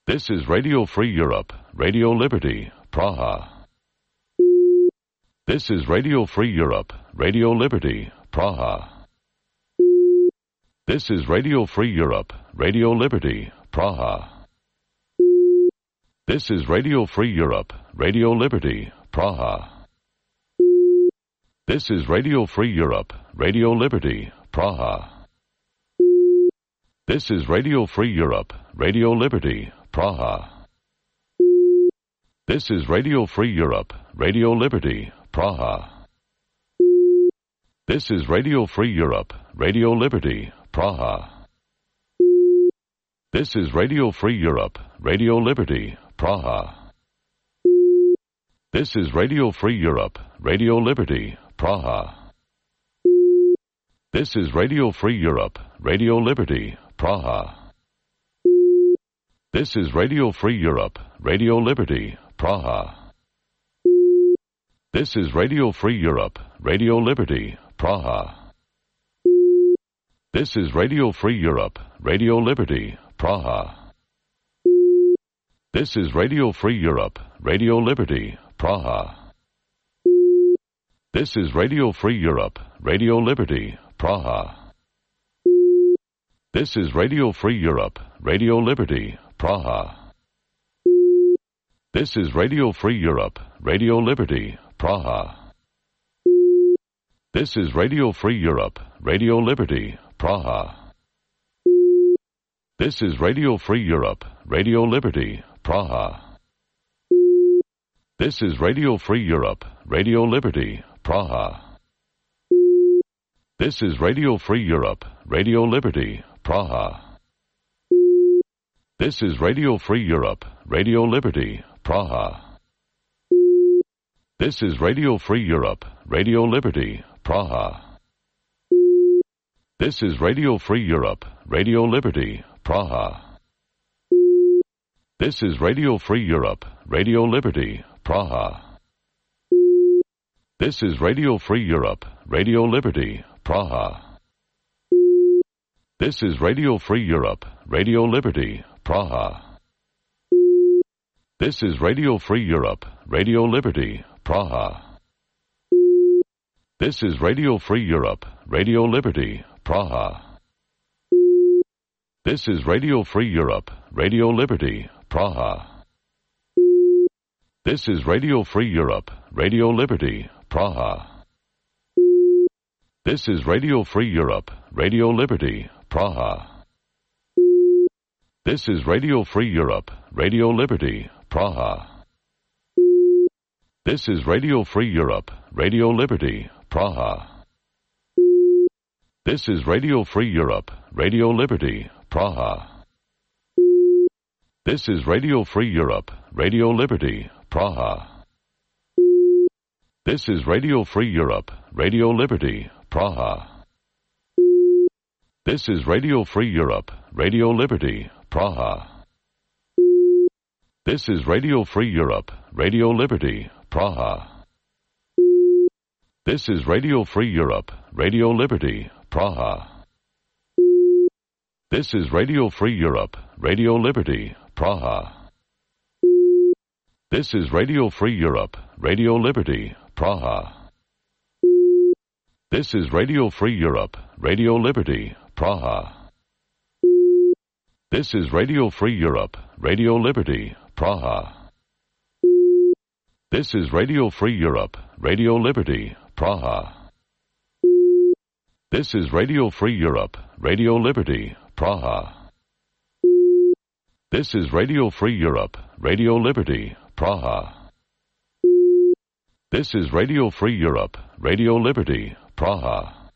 This is Radio Free Europe, Radio Liberty, Praha. This is Radio Free Europe, Radio Liberty, Praha. This is Radio Free Europe, Radio Liberty, Praha. This is Radio Free Europe, Radio Liberty, Praha. This is Radio Free Europe, Radio Liberty, Praha. This is Radio Free Europe, Radio Liberty, Praha. This is Radio Free Europe, Radio Liberty, Praha. This is Radio Free Europe, Radio Liberty, Praha. This is Radio Free Europe, Radio Liberty, Praha. This is Radio Free Europe, Radio Liberty, Praha. This is Radio Free Europe, Radio Liberty, Praha. This is Radio Free Europe, Radio Liberty, Praha. This is Radio Free Europe, Radio Liberty, Praha. This is Radio Free Europe, Radio Liberty, Praha. This is Radio Free Europe, Radio Liberty, Praha. This is Radio Free Europe, Radio Liberty, Praha. This is Radio Free Europe, Radio Liberty, Praha. This is Radio Free Europe, Radio Liberty, Praha. This is Radio Free Europe, Radio Liberty, Praha. This is Radio Free Europe, Radio Liberty, Praha. This is Radio Free Europe, Radio Liberty, Praha. This is Radio Free Europe, Radio Liberty, Praha. This is Radio Free Europe, Radio Liberty, Praha. This is Radio Free Europe, Radio Liberty, Praha. This is Radio Free Europe, Radio Liberty, Praha. This is Radio Free Europe, Radio Liberty, Praha. This is Radio Free Europe, Radio Liberty, Praha. This is Radio Free Europe, Radio Liberty, Praha. This is Radio Free Europe, Radio Liberty, Praha. This is Radio Free Europe, Radio Liberty, Praha. This is Radio Free Europe, Radio Liberty, Praha. This is Radio Free Europe, Radio Liberty, Praha. This is Radio Free Europe, Radio Liberty, Praha. This is Radio Free Europe, Radio Liberty, Praha. This is Radio Free Europe, Radio Liberty, Praha. This is Radio Free Europe, Radio Liberty, Praha. This is Radio Free Europe, Radio Liberty, Praha. This is Radio Free Europe, Radio Liberty, Praha. This is Radio Free Europe, Radio Liberty, Praha. This is Radio Free Europe, Radio Liberty, Praha. This is Radio Free Europe, Radio Liberty, Praha. This is Radio Free Europe, Radio Liberty, Praha. This is Radio Free Europe, Radio Liberty, Praha. This is Radio Free Europe, Radio Liberty, Praha. This is Radio Free Europe, Radio Liberty, Praha. This is Radio Free Europe, Radio Liberty, Praha. This is Radio Free Europe, Radio Liberty, Praha. This is Radio Free Europe, Radio Liberty, Praha. This is Radio Free Europe, Radio Liberty, Praha.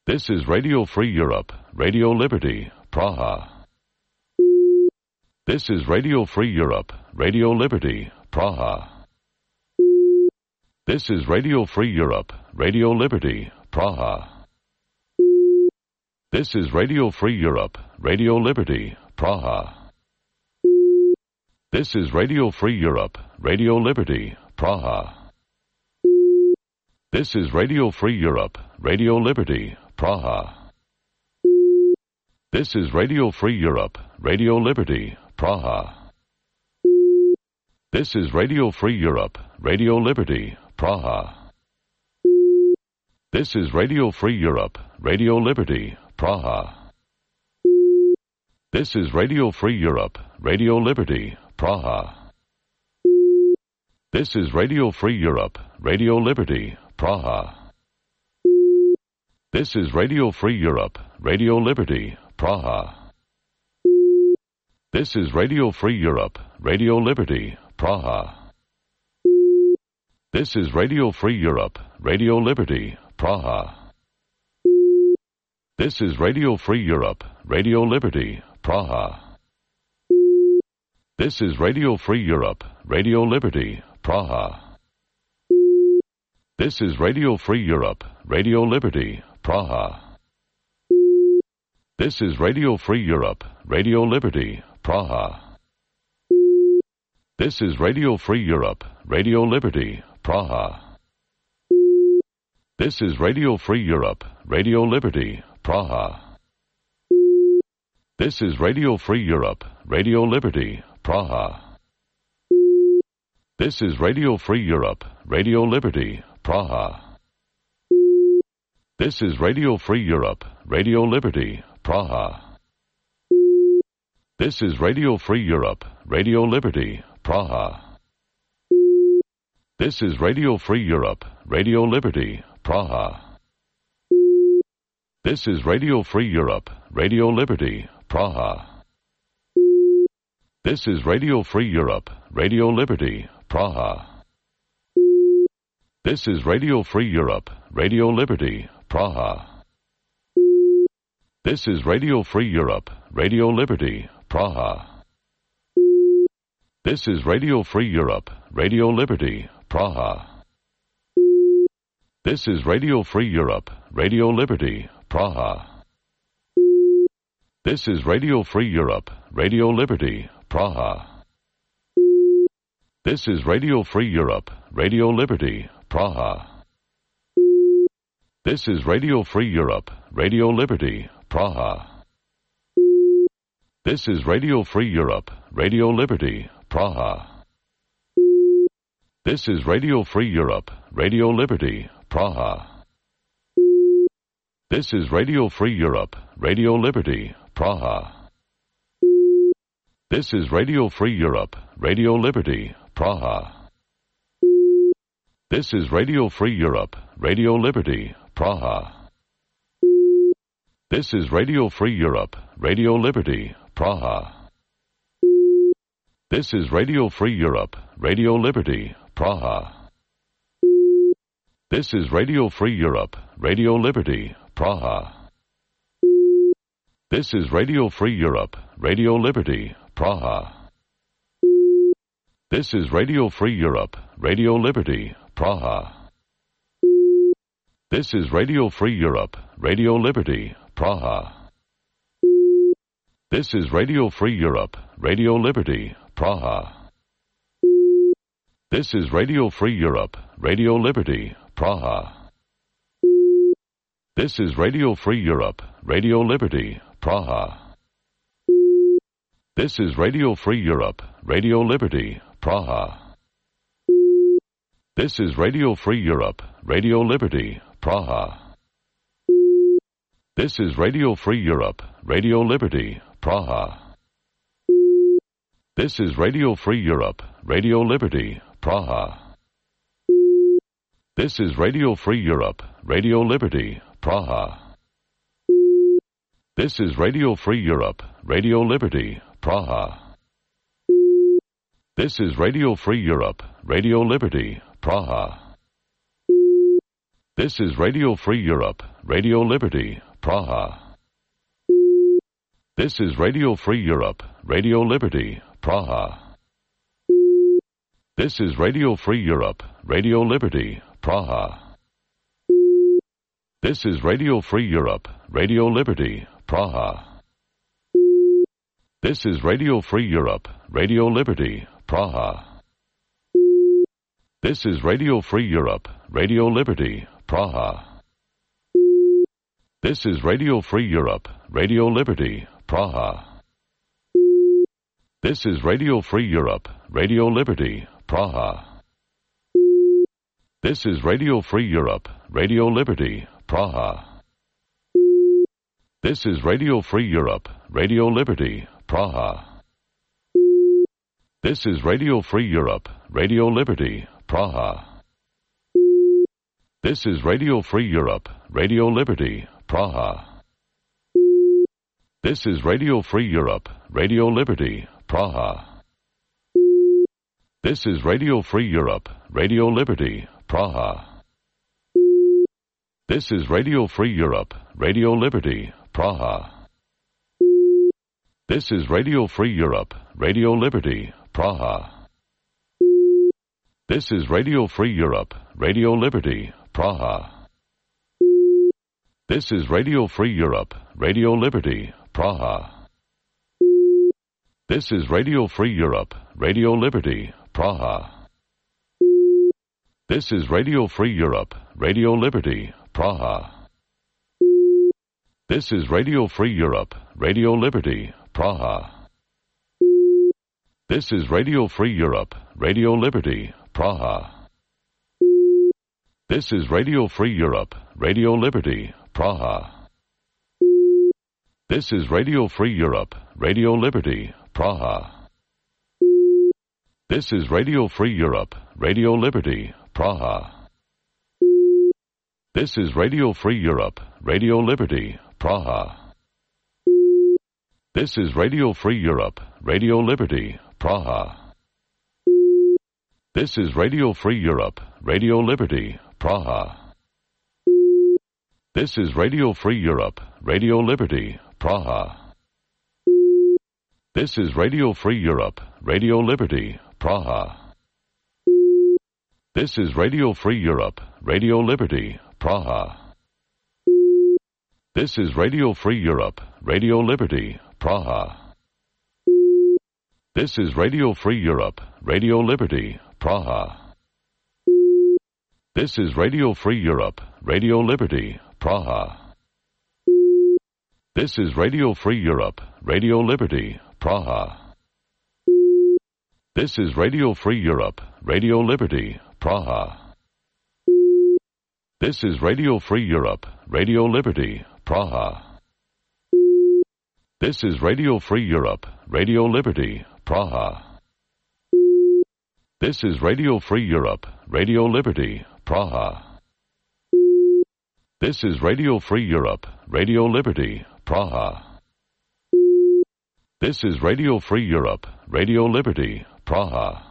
This is Radio Free Europe, Radio Liberty, Praha. This is Radio Free Europe, Radio Liberty, Praha. This is Radio Free Europe, Radio Liberty, Praha. This is Radio Free Europe, Radio Liberty, Praha. This is Radio Free Europe, Radio Liberty, Praha. This is Radio Free Europe, Radio Liberty, Praha. This is Radio Free Europe, Radio Liberty, Praha. This is Radio Free Europe, Radio Liberty, Praha. This is Radio Free Europe, Radio Liberty, Praha. This is Radio Free Europe, Radio Liberty, Praha. This is Radio Free Europe, Radio Liberty, Praha. This is Radio Free Europe, Radio Liberty, Praha. This is Radio Free Europe, Radio Liberty, Praha. This is Radio Free Europe, Radio Liberty, Praha. This is Radio Free Europe, Radio Liberty, Praha. This is Radio Free Europe, Radio Liberty, Praha. This is Radio Free Europe, Radio Liberty, Praha. This is Radio Free Europe, Radio Liberty, Praha. This is Radio Free Europe, Radio Liberty, Praha. This is Radio Free Europe, Radio Liberty, Praha. This is Radio Free Europe, Radio Liberty, Praha. This is Radio Free Europe, Radio Liberty, Praha. This is Radio Free Europe, Radio Liberty, Praha. This is Radio Free Europe, Radio Liberty, Praha. This is Radio Free Europe, Radio Liberty, Praha. This is Radio Free Europe, Radio Liberty, Praha. This is Radio Free Europe, Radio Liberty, Praha. This is Radio Free Europe, Radio Liberty, Praha. This is Radio Free Europe, Radio Liberty, Praha. This is Radio Free Europe, Radio Liberty, Praha. This is Radio Free Europe, Radio Liberty, Praha. This is Radio Free Europe, Radio Liberty, Praha. This is Radio Free Europe, Radio Liberty, Praha. This is Radio Free Europe, Radio Liberty, Praha. This is Radio Free Europe, Radio Liberty, Praha. This is Radio Free Europe, Radio Liberty, Praha. This is Radio Free Europe, Radio Liberty, Praha. This is Radio Free Europe, Radio Liberty, Praha. This is Radio Free Europe, Radio Liberty, Praha. This is Radio Free Europe, Radio Liberty, Praha. This is Radio Free Europe, Radio Liberty, Praha. This is Radio Free Europe, Radio Liberty, Praha. This is Radio Free Europe, Radio Liberty, Praha. This is Radio Free Europe, Radio Liberty, Praha. This is Radio Free Europe, Radio Liberty, Praha. This is Radio Free Europe, Radio Liberty, Praha. This is Radio Free Europe, Radio Liberty, Praha. This is Radio Free Europe, Radio Liberty, Praha. This is Radio Free Europe, Radio Liberty, Praha. This is Radio Free Europe, Radio Liberty, Praha. This is Radio Free Europe, Radio Liberty, Praha. This is Radio Free Europe, Radio Liberty, Praha. This is Radio Free Europe, Radio Liberty, Praha. This is Radio Free Europe, Radio Liberty, Praha. This is Radio Free Europe, Radio Liberty, Praha. This is Radio Free Europe, Radio Liberty, Praha. This is Radio Free Europe, Radio Liberty, Praha. This is Radio Free Europe, Radio Liberty, Praha. This is Radio Free Europe, Radio Liberty, Praha. This is Radio Free Europe, Radio Liberty, Praha. This is Radio Free Europe, Radio Liberty, Praha. This is Radio Free Europe, Radio Liberty, Praha. This is Radio Free Europe, Radio Liberty, Praha. This is Radio Free Europe, Radio Liberty, Praha. This is Radio Free Europe, Radio Liberty, Praha. This is Radio Free Europe, Radio Liberty, Praha. This is Radio Free Europe, Radio Liberty, Praha. This is Radio Free Europe, Radio Liberty, Praha. This is Radio Free Europe, Radio Liberty, Praha. This is Radio Free Europe, Radio Liberty, Praha. This is Radio Free Europe, Radio Liberty, Praha. This is Radio Free Europe, Radio Liberty, Praha. This is Radio Free Europe, Radio Liberty, Praha. This is Radio Free Europe, Radio Liberty, Praha. This is Radio Free Europe, Radio Liberty, Praha. This is Radio Free Europe, Radio Liberty, Praha. This is Radio Free Europe, Radio Liberty, Praha. This is Radio Free Europe, Radio Liberty, Praha. This is Radio Free Europe, Radio Liberty, Praha. This is Radio Free Europe, Radio Liberty, Praha. This is Radio Free Europe, Radio Liberty, Praha. This is Radio Free Europe, Radio Liberty, Praha. This is Radio Free Europe, Radio Liberty, Praha. This is Radio Free Europe, Radio Liberty, Praha. This is Radio Free Europe, Radio Liberty, Praha. This is Radio Free Europe, Radio Liberty, Praha. This is Radio Free Europe, Radio Liberty, Praha. This is Radio Free Europe, Radio Liberty, Praha. This is Radio Free Europe, Radio Liberty, Praha. This is Radio Free Europe, Radio Liberty, Praha. This is Radio Free Europe, Radio Liberty, Praha. This is Radio Free Europe, Radio Liberty, Praha. This is Radio Free Europe, Radio Liberty, Praha. This is Radio Free Europe, Radio Liberty, Praha. This is Radio Free Europe, Radio Liberty, Praha. This is Radio Free Europe, Radio Liberty, Praha.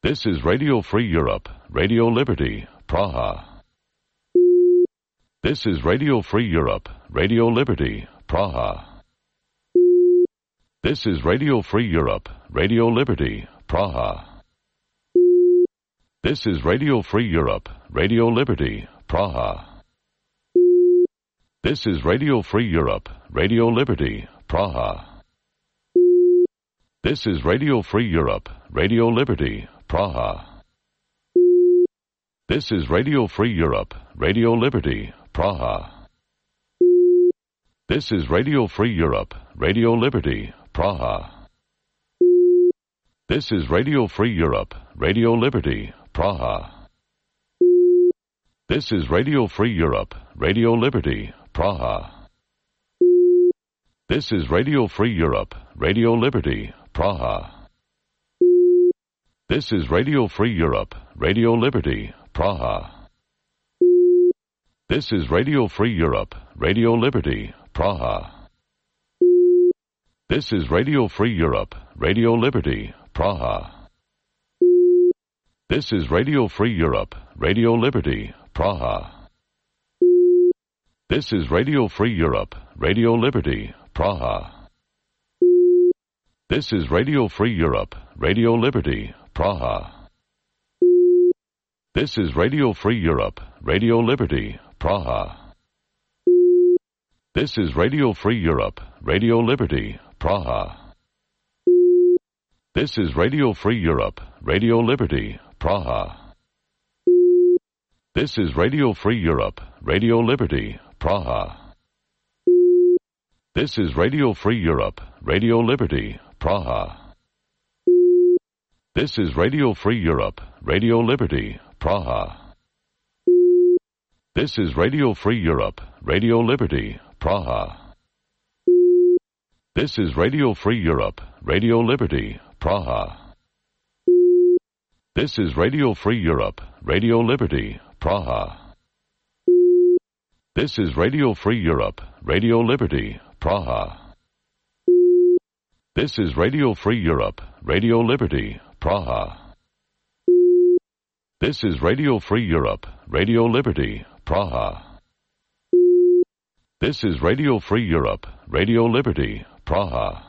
This is Radio Free Europe, Radio Liberty, Praha. This is Radio Free Europe, Radio Liberty, Praha. This is Radio Free Europe, Radio Liberty, Praha. This is Radio Free Europe, Radio Liberty, Praha. This is Radio Free Europe, Radio Liberty, Praha. This is Radio Free Europe, Radio Liberty, Praha. This is Radio Free Europe, Radio Liberty, Praha. This is Radio Free Europe, Radio Liberty, Praha. This is Radio Free Europe, Radio Liberty, Praha. This is Radio Free Europe, Radio Liberty, Praha. This is Radio Free Europe, Radio Liberty, Praha. This is Radio Free Europe, Radio Liberty, Praha. This is Radio Free Europe, Radio Liberty, Praha. This is Radio Free Europe, Radio Liberty, Praha. This is Radio Free Europe, Radio Liberty, Praha. This is Radio Free Europe, Radio Liberty, Praha. This is Radio Free Europe, Radio Liberty, Praha. This is Radio Free Europe, Radio Liberty, Praha. This is Radio Free Europe, Radio Liberty, Praha. This is Radio Free Europe, Radio Liberty, Praha. This is Radio Free Europe, Radio Liberty, Praha. This is Radio Free Europe, Radio Liberty, Praha. This is Radio Free Europe, Radio Liberty, Praha. This is Radio Free Europe, Radio Liberty, Praha. This is Radio Free Europe, Radio Liberty, Praha. This is Radio Free Europe, Radio Liberty, Praha. This is Radio Free Europe, Radio Liberty, Praha. This is Radio Free Europe, Radio Liberty, Praha. This is Radio Free Europe, Radio Liberty, Praha. This is Radio Free Europe, Radio Liberty, Praha.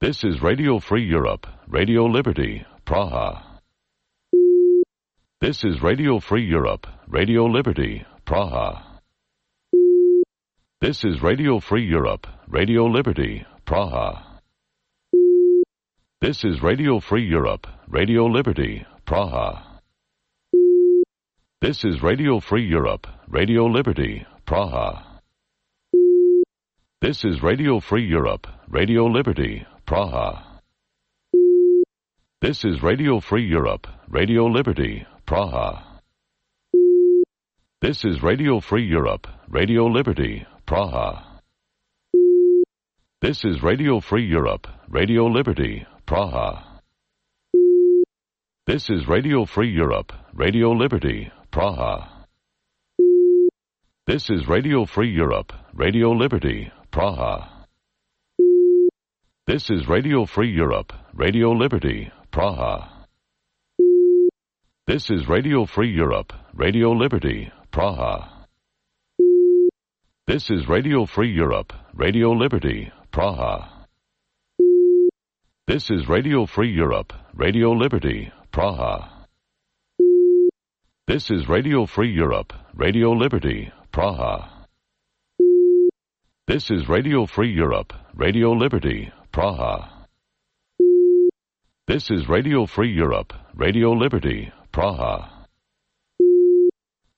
This is Radio Free Europe, Radio Liberty, Praha. This is Radio Free Europe, Radio Liberty, Praha. This is Radio Free Europe, Radio Liberty, Praha. This is Radio Free Europe, Radio Liberty, Praha. This is Radio Free Europe, Radio Liberty, Praha. This is Radio Free Europe, Radio Liberty, Praha. This is Radio Free Europe, Radio Liberty, Praha. This is Radio Free Europe, Radio Liberty, Praha. This is Radio Free Europe, Radio Liberty, Praha. This is Radio Free Europe, Radio Liberty, Praha. This is Radio Free Europe, Radio Liberty, Praha. This is Radio Free Europe, Radio Liberty, Praha. This is Radio Free Europe, Radio Liberty, Praha. This is Radio Free Europe, Radio Liberty, Praha. This is Radio Free Europe, Radio Liberty, Praha. This is Radio Free Europe, Radio Liberty, Praha. This is Radio Free Europe, Radio Liberty, Praha. This is Radio Free Europe, Radio Liberty, Praha.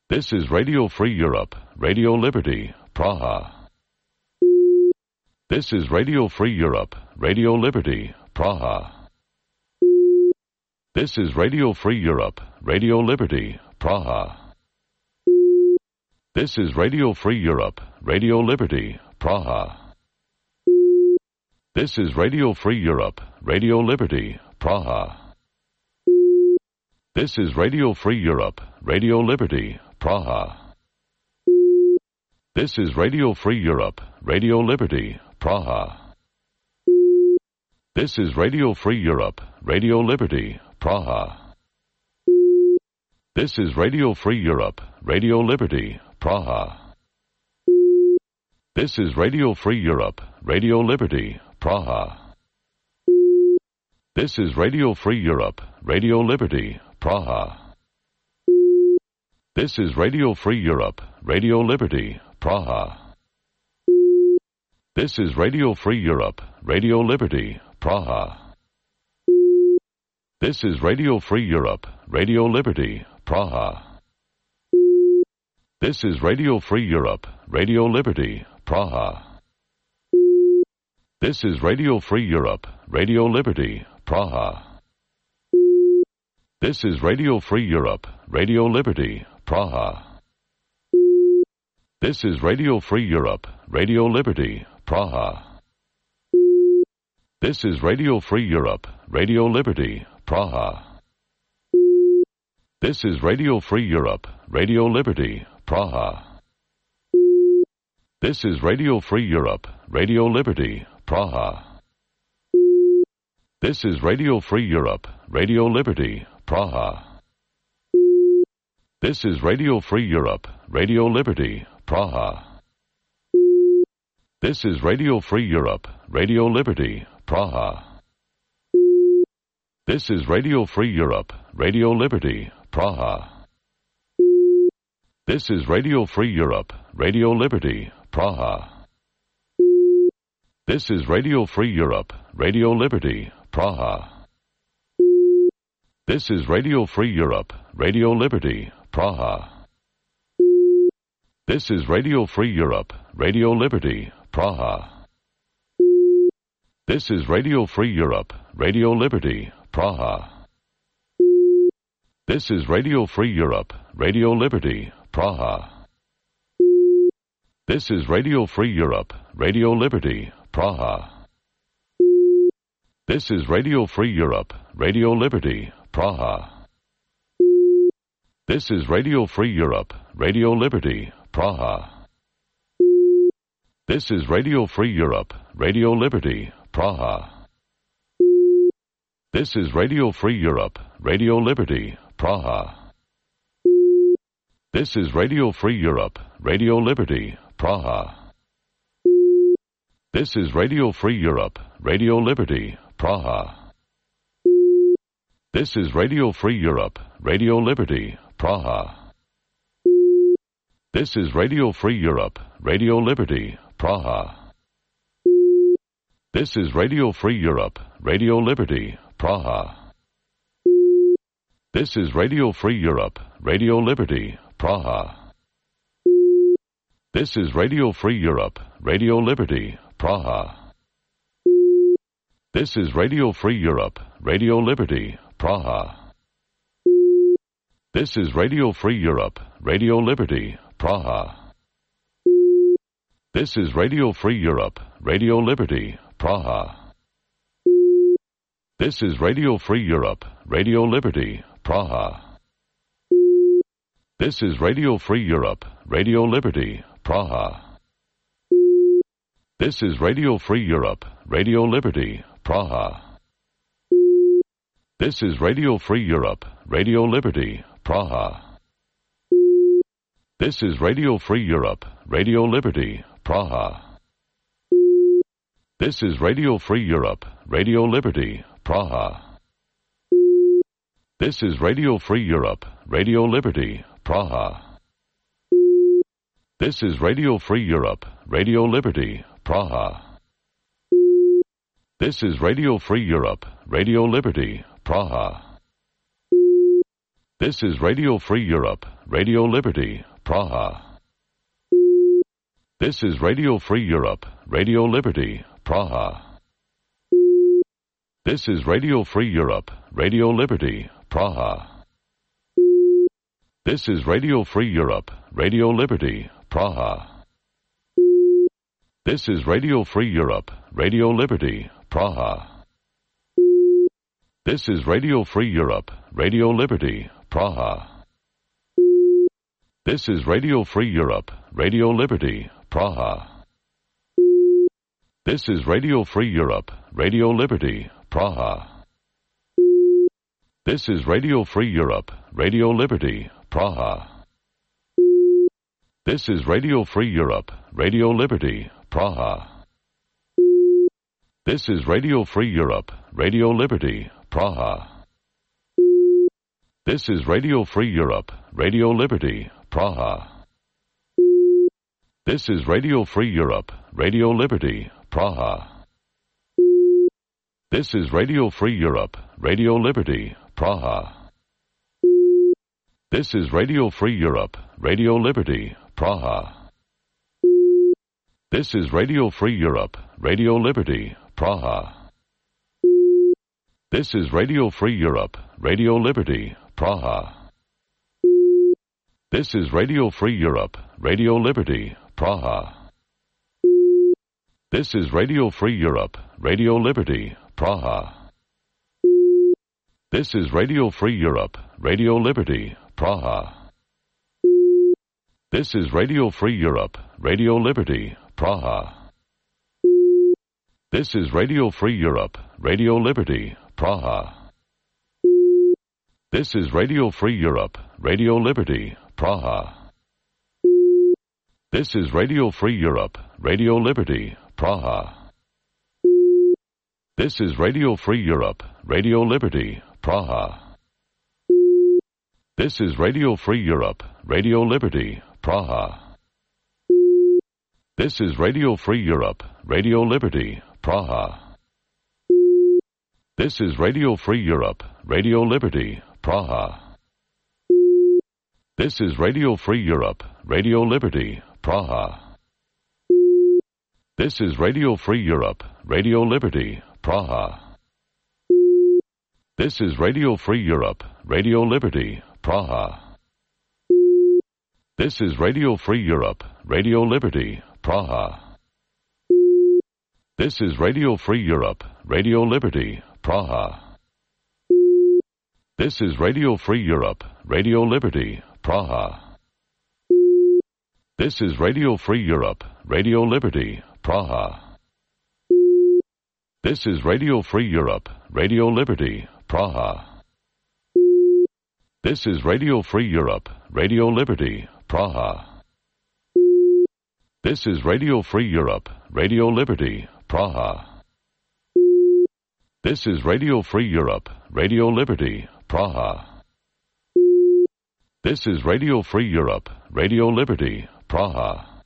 This is Radio Free Europe, Radio Liberty, Praha. This is Radio Free Europe, Radio Liberty, Praha. This is Radio Free Europe, Radio Liberty, Praha. This is Radio Free Europe, Radio Liberty, Praha. This is Radio Free Europe, Radio Liberty, Praha. This is Radio Free Europe, Radio Liberty, Praha. This is Radio Free Europe, Radio Liberty, Praha. This is Radio Free Europe, Radio Liberty, Praha. This is Radio Free Europe, Radio Liberty, Praha. This is Radio Free Europe, Radio Liberty, Praha. This is Radio Free Europe, Radio Liberty, Praha. This is Radio Free Europe, Radio Liberty, Praha. This is Radio Free Europe, Radio Liberty, Praha. This is Radio Free Europe, Radio Liberty, Praha. This is Radio Free Europe, Radio Liberty, Praha. This is Radio Free Europe, Radio Liberty, Praha. This is Radio Free Europe, Radio Liberty, Praha. This is Radio Free Europe, Radio Liberty, Praha. This is Radio Free Europe, Radio Liberty, Praha. This is Radio Free Europe, Radio Liberty, Praha. This is Radio Free Europe, Radio Liberty, Praha. This is Radio Free Europe, Radio Liberty, Praha. This is Radio Free Europe, Radio Liberty, Praha. This is Radio Free Europe, Radio Liberty, Praha. This is Radio Free Europe, Radio Liberty, Praha. This is Radio Free Europe, Radio Liberty, Praha. This is Radio Free Europe, Radio Liberty, Praha. This is Radio Free Europe, Radio Liberty, Praha. This is Radio Free Europe, Radio Liberty, Praha. This is Radio Free Europe, Radio Liberty, Praha. This is Radio Free Europe, Radio Liberty, Praha. This is Radio Free Europe, Radio Liberty, Praha. This is Radio Free Europe, Radio Liberty, Praha. This is Radio Free Europe, Radio Liberty, Praha. This is Radio Free Europe, Radio Liberty, Praha. This is Radio Free Europe, Radio Liberty, Praha. This is Radio Free Europe, Radio Liberty, Praha. This is Radio Free Europe, Radio Liberty, Praha. This is Radio Free Europe, Radio Liberty, Praha. This is Radio Free Europe, Radio Liberty, Praha. This is Radio Free Europe, Radio Liberty, Praha. This is Radio Free Europe, Radio Liberty, Praha. This is Radio Free Europe, Radio Liberty, Praha. This is Radio Free Europe, Radio Liberty, Praha. This is Radio Free Europe, Radio Liberty, Praha. This is Radio Free Europe, Radio Liberty, Praha. This is Radio Free Europe, Radio Liberty, Praha. This is Radio Free Europe, Radio Liberty, Praha. This is Radio Free Europe, Radio Liberty, Praha. This is Radio Free Europe, Radio Liberty, Praha. This is Radio Free Europe, Radio Liberty, Praha. This is Radio Free Europe, Radio Liberty, Praha. This is Radio Free Europe, Radio Liberty, Praha. This is Radio Free Europe, Radio Liberty, Praha. This is Radio Free Europe, Radio Liberty, Praha. This is Radio Free Europe, Radio Liberty, Praha. This is Radio Free Europe, Radio Liberty, Praha. This is Radio Free Europe, Radio Liberty, Praha. This is Radio Free Europe, Radio Liberty, Praha. This is Radio Free Europe, Radio Liberty, Praha. This is Radio Free Europe, Radio Liberty, Praha. This is Radio Free Europe, Radio Liberty, Praha. This is Radio Free Europe, Radio Liberty, Praha. This is Radio Free Europe, Radio Liberty, Praha. This is Radio Free Europe, Radio Liberty, Praha. This is Radio Free Europe, Radio Liberty, Praha. This is Radio Free Europe, Radio Liberty, Praha. This is Radio Free Europe, Radio Liberty, Praha. This is Radio Free Europe, Radio Liberty, Praha. This is Radio Free Europe, Radio Liberty, Praha. This is Radio Free Europe, Radio Liberty, Praha. This is Radio Free Europe, Radio Liberty, Praha. This is Radio Free Europe, Radio Liberty, Praha. This is Radio Free Europe, Radio Liberty, Praha. This is Radio Free Europe, Radio Liberty, Praha. This is Radio Free Europe, Radio Liberty, Praha. This is Radio Free Europe, Radio Liberty, Praha. This is Radio Free Europe, Radio Liberty, Praha. This is Radio Free Europe, Radio Liberty, Praha. This is Radio Free Europe, Radio Liberty, Praha. This is Radio Free Europe, Radio Liberty, Praha. This is Radio Free Europe, Radio Liberty, Praha. This is Radio Free Europe, Radio Liberty, Praha. This is Radio Free Europe, Radio Liberty, Praha. This is Radio Free Europe, Radio Liberty, Praha. This is Radio Free Europe, Radio Liberty, Praha. This is Radio Free Europe, Radio Liberty, Praha. This is Radio Free Europe, Radio Liberty, Praha. This is Radio Free Europe, Radio Liberty, Praha. This is Radio Free Europe, Radio Liberty, Praha. This is Radio Free Europe, Radio Liberty, Praha. This is Radio Free Europe, Radio Liberty, Praha. This is Radio Free Europe, Radio Liberty, Praha. This is Radio Free Europe, Radio Liberty, Praha. This is Radio Free Europe, Radio Liberty, Praha.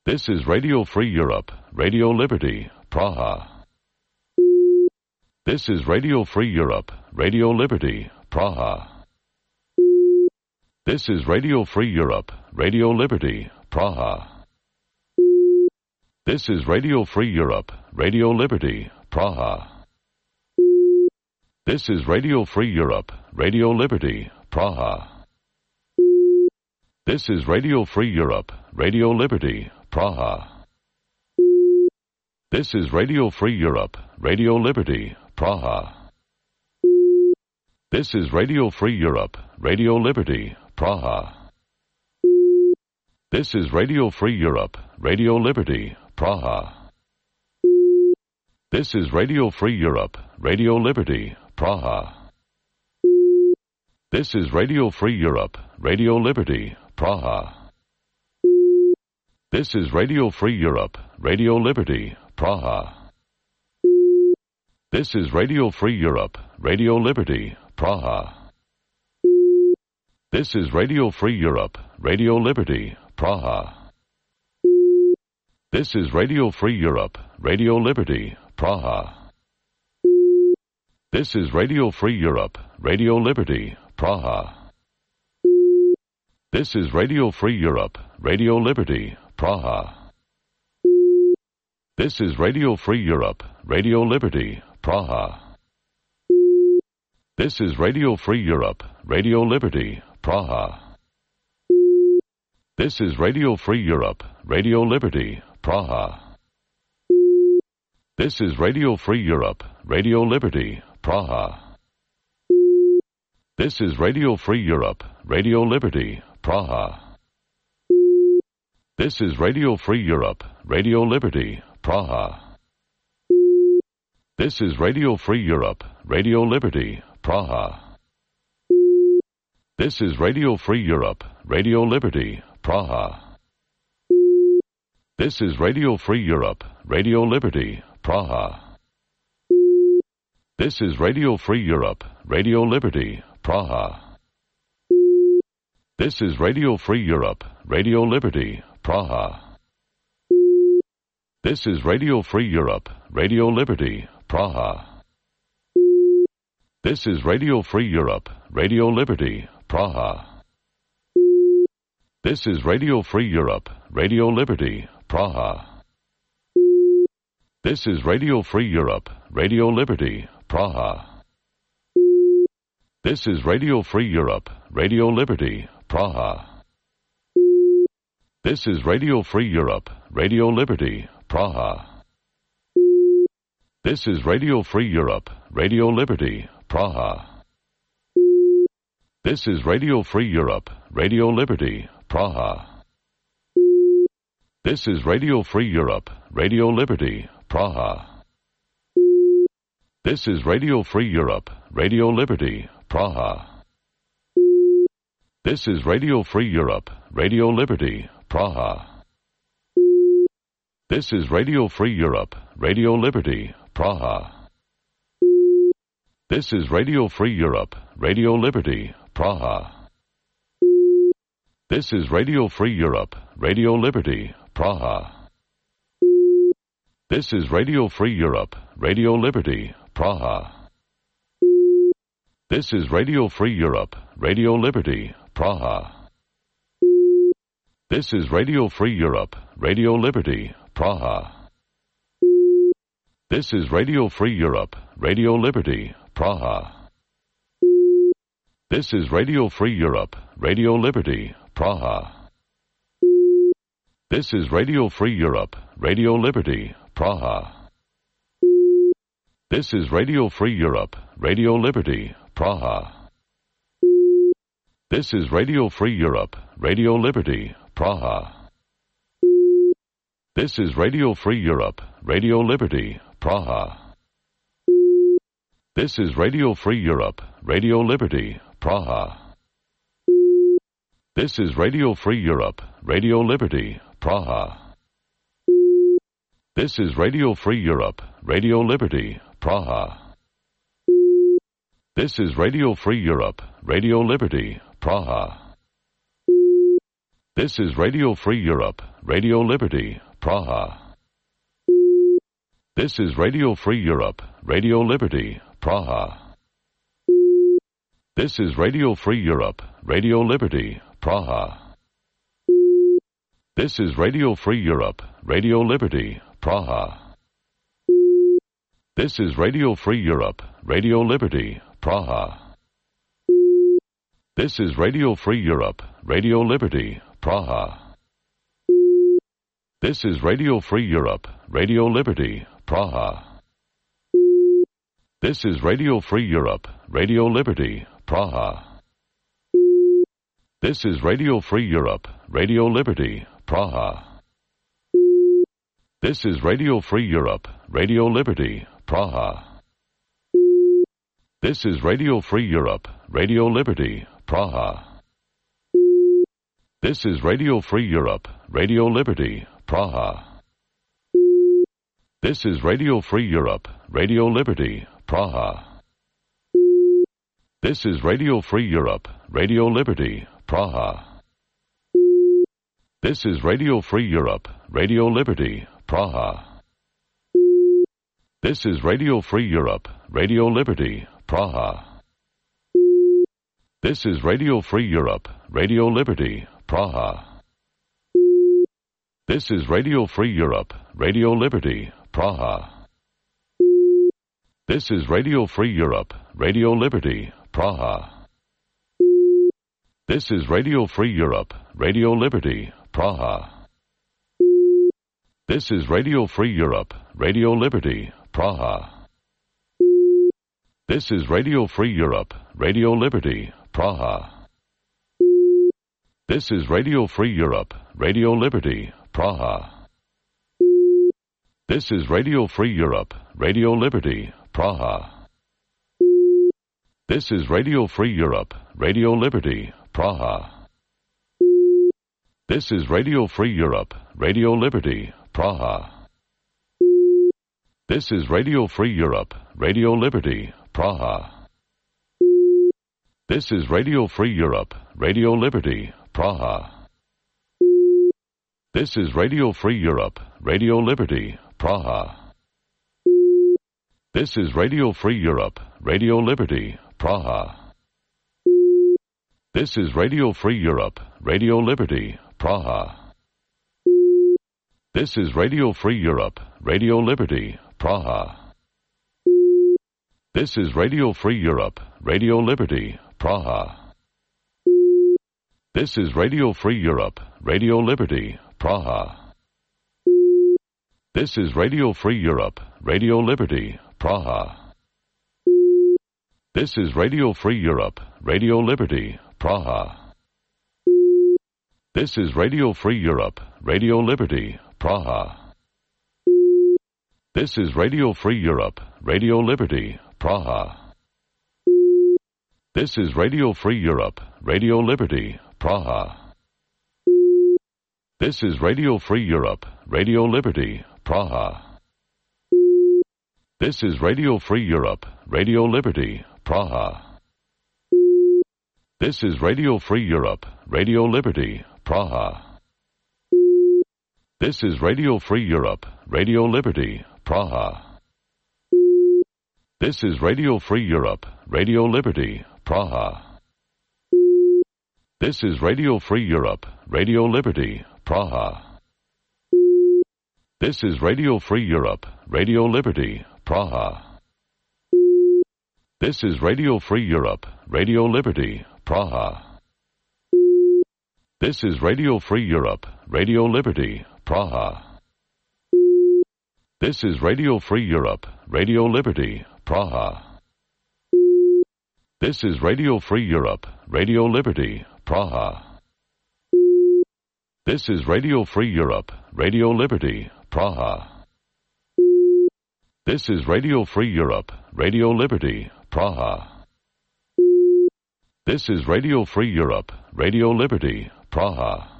This is Radio Free Europe, Radio Liberty, Praha. This is Radio Free Europe, Radio Liberty, Praha. This is Radio Free Europe, Radio Liberty, Praha. This is Radio Free Europe, Radio Liberty, Praha. This is Radio Free Europe, Radio Liberty, Praha. This is Radio Free Europe, Radio Liberty, Praha. This is Radio Free Europe, Radio Liberty, Praha. This is Radio Free Europe, Radio Liberty, Praha. This is Radio Free Europe, Radio Liberty, Praha. This is Radio Free Europe, Radio Liberty, Praha. This is Radio Free Europe, Radio Liberty, Praha. This is Radio Free Europe, Radio Liberty, Praha. This is Radio Free Europe, Radio Liberty, Praha. This is Radio Free Europe, Radio Liberty, Praha. This is Radio Free Europe, Radio Liberty, Praha. This is Radio Free Europe, Radio Liberty, Praha. This is Radio Free Europe, Radio Liberty, Praha. This is Radio Free Europe, Radio Liberty, Praha. This is Radio Free Europe, Radio Liberty, Praha. This is Radio Free Europe, Radio Liberty, Praha. This is Radio Free Europe, Radio Liberty, Praha. This is Radio Free Europe, Radio Liberty, Praha. This is Radio Free Europe, Radio Liberty, Praha. This is Radio Free Europe, Radio Liberty, Praha. This is Radio Free Europe, Radio Liberty, Praha. This is Radio Free Europe, Radio Liberty, Praha. This is Radio Free Europe, Radio Liberty, Praha. This is Radio Free Europe, Radio Liberty, Praha. This is Radio Free Europe, Radio Liberty, Praha. This is Radio Free Europe, Radio Liberty, Praha. This is Radio Free Europe, Radio Liberty, Praha. This is Radio Free Europe, Radio Liberty, Praha. This is Radio Free Europe, Radio Liberty, Praha. This is Radio Free Europe, Radio Liberty, Praha. This is Radio Free Europe, Radio Liberty, Praha. This is Radio Free Europe, Radio Liberty, Praha. This is Radio Free Europe, Radio Liberty, Praha. This is Radio Free Europe, Radio Liberty, Praha. This is Radio Free Europe, Radio Liberty, Praha. This is Radio Free Europe, Radio Liberty, Praha. This is Radio Free Europe, Radio Liberty, Praha. This is Radio Free Europe, Radio Liberty, Praha. This is Radio Free Europe, Radio Liberty, Praha. This is Radio Free Europe, Radio Liberty, Praha. This is Radio Free Europe, Radio Liberty, Praha. This is Radio Free Europe, Radio Liberty, Praha. This is Radio Free Europe, Radio Liberty, Praha. This is Radio Free Europe, Radio Liberty, Praha. This is Radio Free Europe, Radio Liberty, Praha. This is Radio Free Europe, Radio Liberty, Praha. This is Radio Free Europe, Radio Liberty, Praha. This is Radio Free Europe, Radio Liberty, Praha. This is Radio Free Europe, Radio Liberty, Praha. This is Radio Free Europe, Radio Liberty, Praha. This is Radio Free Europe, Radio Liberty, Praha. This is Radio Free Europe, Radio Liberty, Praha. This is Radio Free Europe, Radio Liberty, Praha. This is Radio Free Europe, Radio Liberty, Praha. This is Radio Free Europe, Radio Liberty, Praha. This is Radio Free Europe, Radio Liberty, Praha. This is Radio Free Europe, Radio Liberty, Praha. This is Radio Free Europe, Radio Liberty, Praha. This is Radio Free Europe, Radio Liberty, Praha. This is Radio Free Europe, Radio Liberty, Praha. This is Radio Free Europe, Radio Liberty, Praha. This is Radio Free Europe, Radio Liberty, Praha. This is Radio Free Europe, Radio Liberty, Praha. This is Radio Free Europe, Radio Liberty, Praha. This is Radio Free Europe, Radio Liberty, Praha. This is Radio Free Europe, Radio Liberty, Praha. This is Radio Free Europe, Radio Liberty, Praha. This is Radio Free Europe, Radio Liberty, Praha. This is Radio Free Europe, Radio Liberty, Praha. This is Radio Free Europe, Radio Liberty, Praha. This is Radio Free Europe, Radio Liberty, Praha. This is Radio Free Europe, Radio Liberty, Praha. This is Radio Free Europe, Radio Liberty, Praha. This is Radio Free Europe, Radio Liberty, Praha. This is Radio Free Europe, Radio Liberty, Praha. This is Radio Free Europe, Radio Liberty, Praha. This is Radio Free Europe, Radio Liberty, Praha. This is Radio Free Europe, Radio Liberty, Praha. This is Radio Free Europe, Radio Liberty, Praha. This is Radio Free Europe, Radio Liberty, Praha. This is Radio Free Europe, Radio Liberty, Praha. This is Radio Free Europe, Radio Liberty, Praha. This is Radio Free Europe, Radio Liberty, Praha. This is Radio Free Europe, Radio Liberty, Praha. This is Radio Free Europe, Radio Liberty, Praha. This is Radio Free Europe, Radio Liberty, Praha. This is Radio Free Europe, Radio Liberty, Praha. This is Radio Free Europe, Radio Liberty, Praha. This is Radio Free Europe, Radio Liberty, Praha. This is Radio Free Europe, Radio Liberty, Praha. This is Radio Free Europe, Radio Liberty, Praha. This is Radio Free Europe, Radio Liberty, Praha. This is Radio Free Europe, Radio Liberty, Praha. This is Radio Free Europe, Radio Liberty, Praha. This is Radio Free Europe, Radio Liberty, Praha. This is Radio Free Europe, Radio Liberty, Praha. This is Radio Free Europe, Radio Liberty, Praha. This is Radio Free Europe, Radio Liberty, Praha. This is Radio Free Europe, Radio Liberty, Praha. This is Radio Free Europe, Radio Liberty, Praha. This is Radio Free Europe, Radio Liberty, Praha. This is Radio Free Europe, Radio Liberty, Praha. This is Radio Free Europe, Radio Liberty, Praha. This is Radio Free Europe, Radio Liberty, Praha.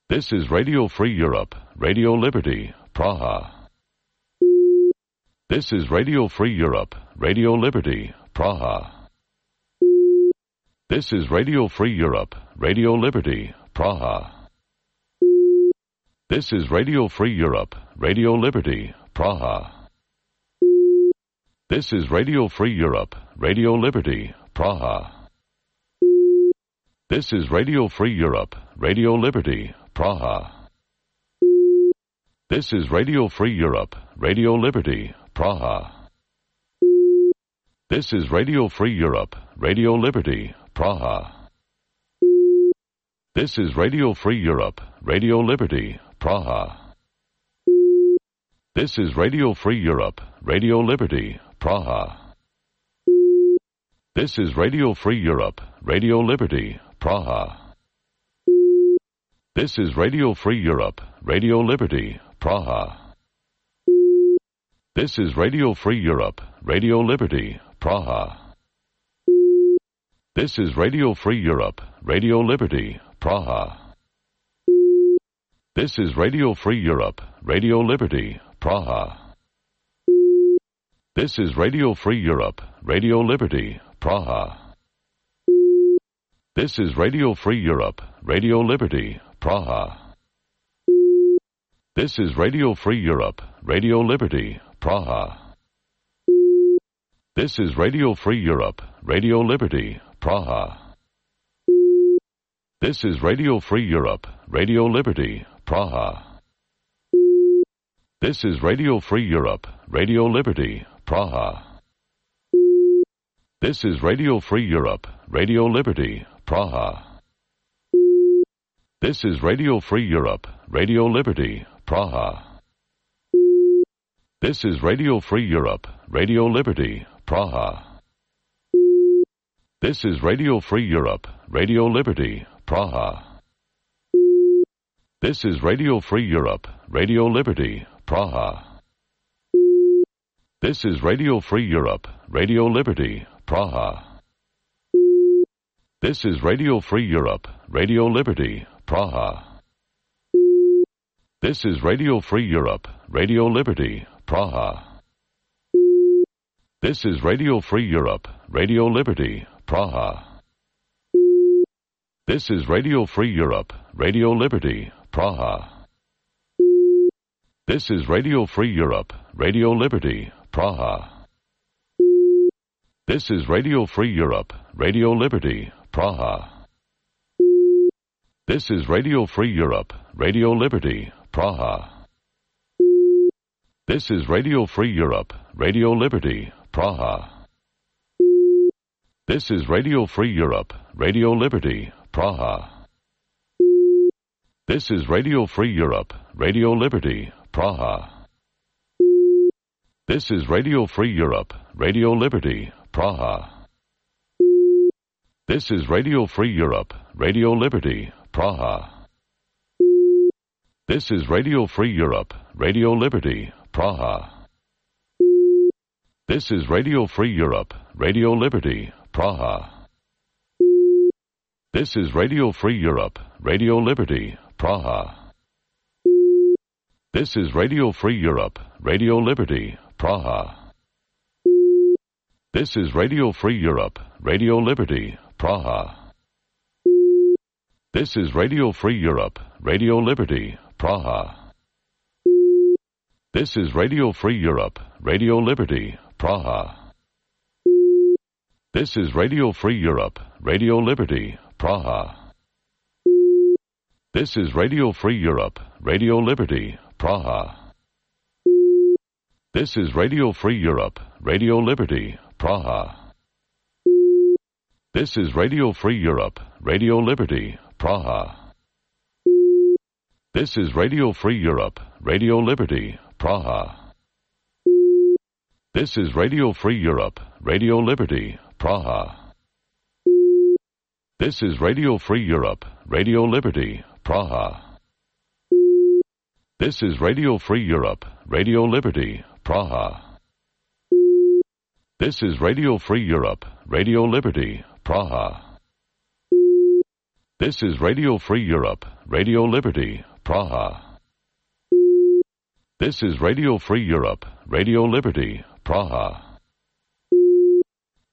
This is Radio Free Europe, Radio Liberty, Praha. This is Radio Free Europe, Radio Liberty, Praha. This is Radio Free Europe, Radio Liberty, Praha. This is Radio Free Europe, Radio Liberty, Praha. This is Radio Free Europe, Radio Liberty, Praha. This is Radio Free Europe, Radio Liberty, Praha. This is Radio Free Europe, Radio Liberty, Praha. This is Radio Free Europe, Radio Liberty, Praha. This is Radio Free Europe, Radio Liberty, Praha. This is Radio Free Europe, Radio Liberty, Praha. This is Radio Free Europe, Radio Liberty, Praha. This is Radio Free Europe, Radio Liberty, Praha. This is Radio Free Europe, Radio Liberty, Praha. This is Radio Free Europe, Radio Liberty, Praha. This is Radio Free Europe, Radio Liberty, Praha. This is Radio Free Europe, Radio Liberty, Praha. This is Radio Free Europe, Radio Liberty, Praha. This is Radio Free Europe, Radio Liberty, Praha. This is Radio Free Europe, Radio Liberty, Praha. This is Radio Free Europe, Radio Liberty, Praha. This is Radio Free Europe, Radio Liberty, Praha. This is Radio Free Europe, Radio Liberty, Praha. This is Radio Free Europe, Radio Liberty, Praha. This is Radio Free Europe, Radio Liberty, Praha. This is Radio Free Europe, Radio Liberty, Praha. This is Radio Free Europe, Radio Liberty, Praha. This is Radio Free Europe, Radio Liberty, Praha. This is Radio Free Europe, Radio Liberty, Praha. This is Radio Free Europe, Radio Liberty, Praha. This is Radio Free Europe, Radio Liberty, Praha. This is Radio Free Europe, Radio Liberty, Praha. This is Radio Free Europe, Radio Liberty, Praha. This is Radio Free Europe, Radio Liberty, Praha. This is Radio Free Europe, Radio Liberty, Praha. This is Radio Free Europe, Radio Liberty, Praha. This is Radio Free Europe, Radio Liberty, Praha. This is Radio Free Europe, Radio Liberty, Praha. This is Radio Free Europe, Radio Liberty, Praha. This is Radio Free Europe, Radio Liberty, Praha. This is Radio Free Europe, Radio Liberty, Praha. This is Radio Free Europe, Radio Liberty, Praha. This is Radio Free Europe, Radio Liberty, Praha. This is Radio Free Europe, Radio Liberty, Praha. This is Radio Free Europe, Radio Liberty, Praha. This is Radio Free Europe, Radio Liberty, Praha. This is Radio Free Europe, Radio Liberty, Praha. This is Radio Free Europe, Radio Liberty, Praha. This is Radio Free Europe, Radio Liberty, Praha. This is Radio Free Europe, Radio Liberty, Praha. This is Radio Free Europe, Radio Liberty, Praha. This is Radio Free Europe, Radio Liberty, Praha. This is Radio Free Europe, Radio Liberty, Praha. This is Radio Free Europe, Radio Liberty, Praha. This is Radio Free Europe, Radio Liberty, Praha. This is Radio Free Europe, Radio Liberty, Praha. This is Radio Free Europe, Radio Liberty, Praha. This is Radio Free Europe, Radio Liberty, Praha.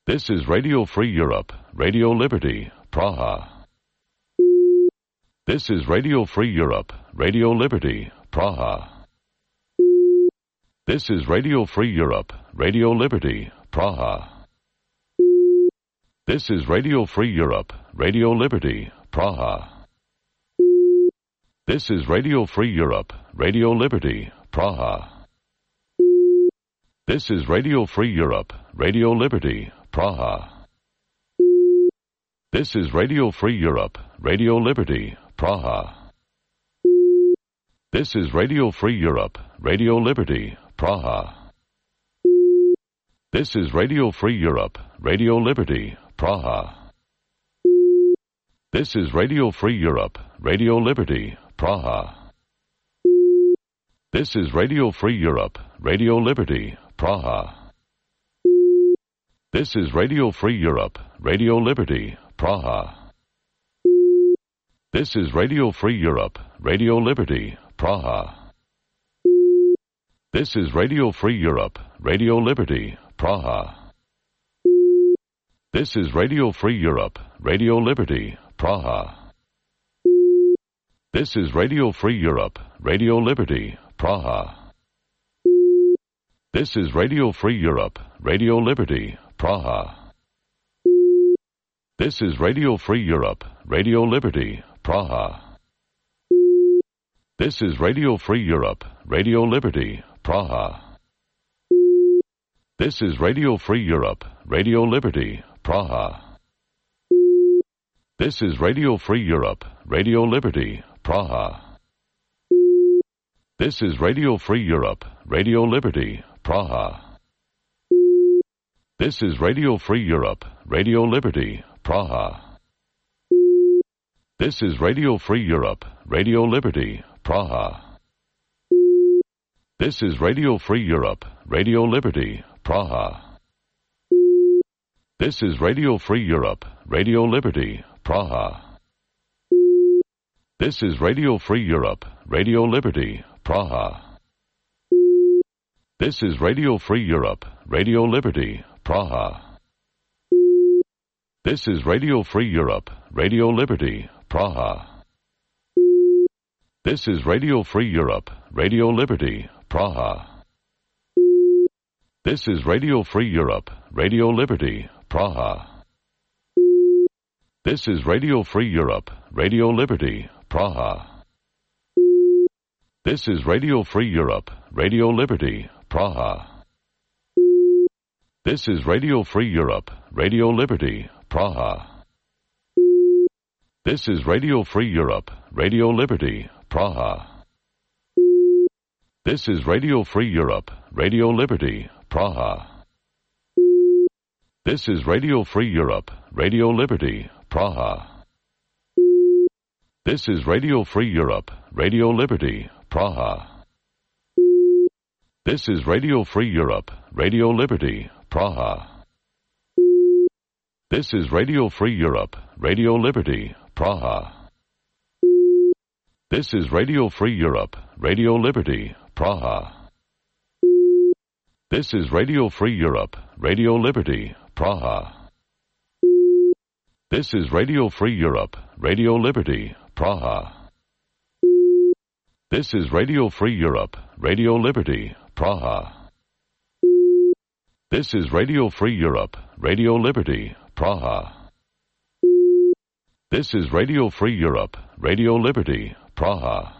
This is Radio Free Europe, Radio Liberty, Praha. This is Radio Free Europe, Radio Liberty, Praha. This is Radio Free Europe, Radio Liberty, Praha. This is Radio Free Europe, Radio Liberty, Praha. This is Radio Free Europe, Radio Liberty, Praha. This is Radio Free Europe, Radio Liberty, Praha. This is Radio Free Europe, Radio Liberty, Praha. This is Radio Free Europe, Radio Liberty, Praha. This is Radio Free Europe, Radio Liberty, Praha. This is Radio Free Europe, Radio Liberty, Praha. This is Radio Free Europe, Radio Liberty, Praha. This is Radio Free Europe, Radio Liberty, Praha. This is Radio Free Europe, Radio Liberty, Praha. This is Radio Free Europe, Radio Liberty, Praha. This is Radio Free Europe, Radio Liberty, Praha. This is Radio Free Europe, Radio Liberty, Praha. This is Radio Free Europe, Radio Liberty, Praha. This is Radio Free Europe, Radio Liberty, Praha. This is Radio Free Europe, Radio Liberty, Praha. This is Radio Free Europe, Radio Liberty, Praha. This is Radio Free Europe, Radio Liberty, Praha. This is Radio Free Europe, Radio Liberty, Praha. This is Radio Free Europe, Radio Liberty, Praha. This is Radio Free Europe, Radio Liberty, Praha. This is Radio Free Europe, Radio Liberty, Praha. This is Radio Free Europe, Radio Liberty, Praha. This is Radio Free Europe, Radio Liberty, Praha. This is Radio Free Europe, Radio Liberty, Praha. This is Radio Free Europe, Radio Liberty, Praha. This is Radio Free Europe, Radio Liberty, Praha. This is Radio Free Europe, Radio Liberty, Praha. This is Radio Free Europe, Radio Liberty, Praha. This is Radio Free Europe, Radio Liberty, Praha. This is Radio Free Europe, Radio Liberty, Praha. This is Radio Free Europe, Radio Liberty, Praha. This is Radio Free Europe, Radio Liberty, Praha. This is Radio Free Europe, Radio Liberty, Praha. This is Radio Free Europe, Radio Liberty, Praha. This is Radio Free Europe, Radio Liberty, Praha. This is Radio Free Europe, Radio Liberty, Praha. This is Radio Free Europe, Radio Liberty, Praha. This is Radio Free Europe, Radio Liberty, Praha. This is Radio Free Europe, Radio Liberty, Praha. This is Radio Free Europe, Radio Liberty, Praha. This is Radio Free Europe, Radio Liberty, Praha. This is Radio Free Europe, Radio Liberty, Praha.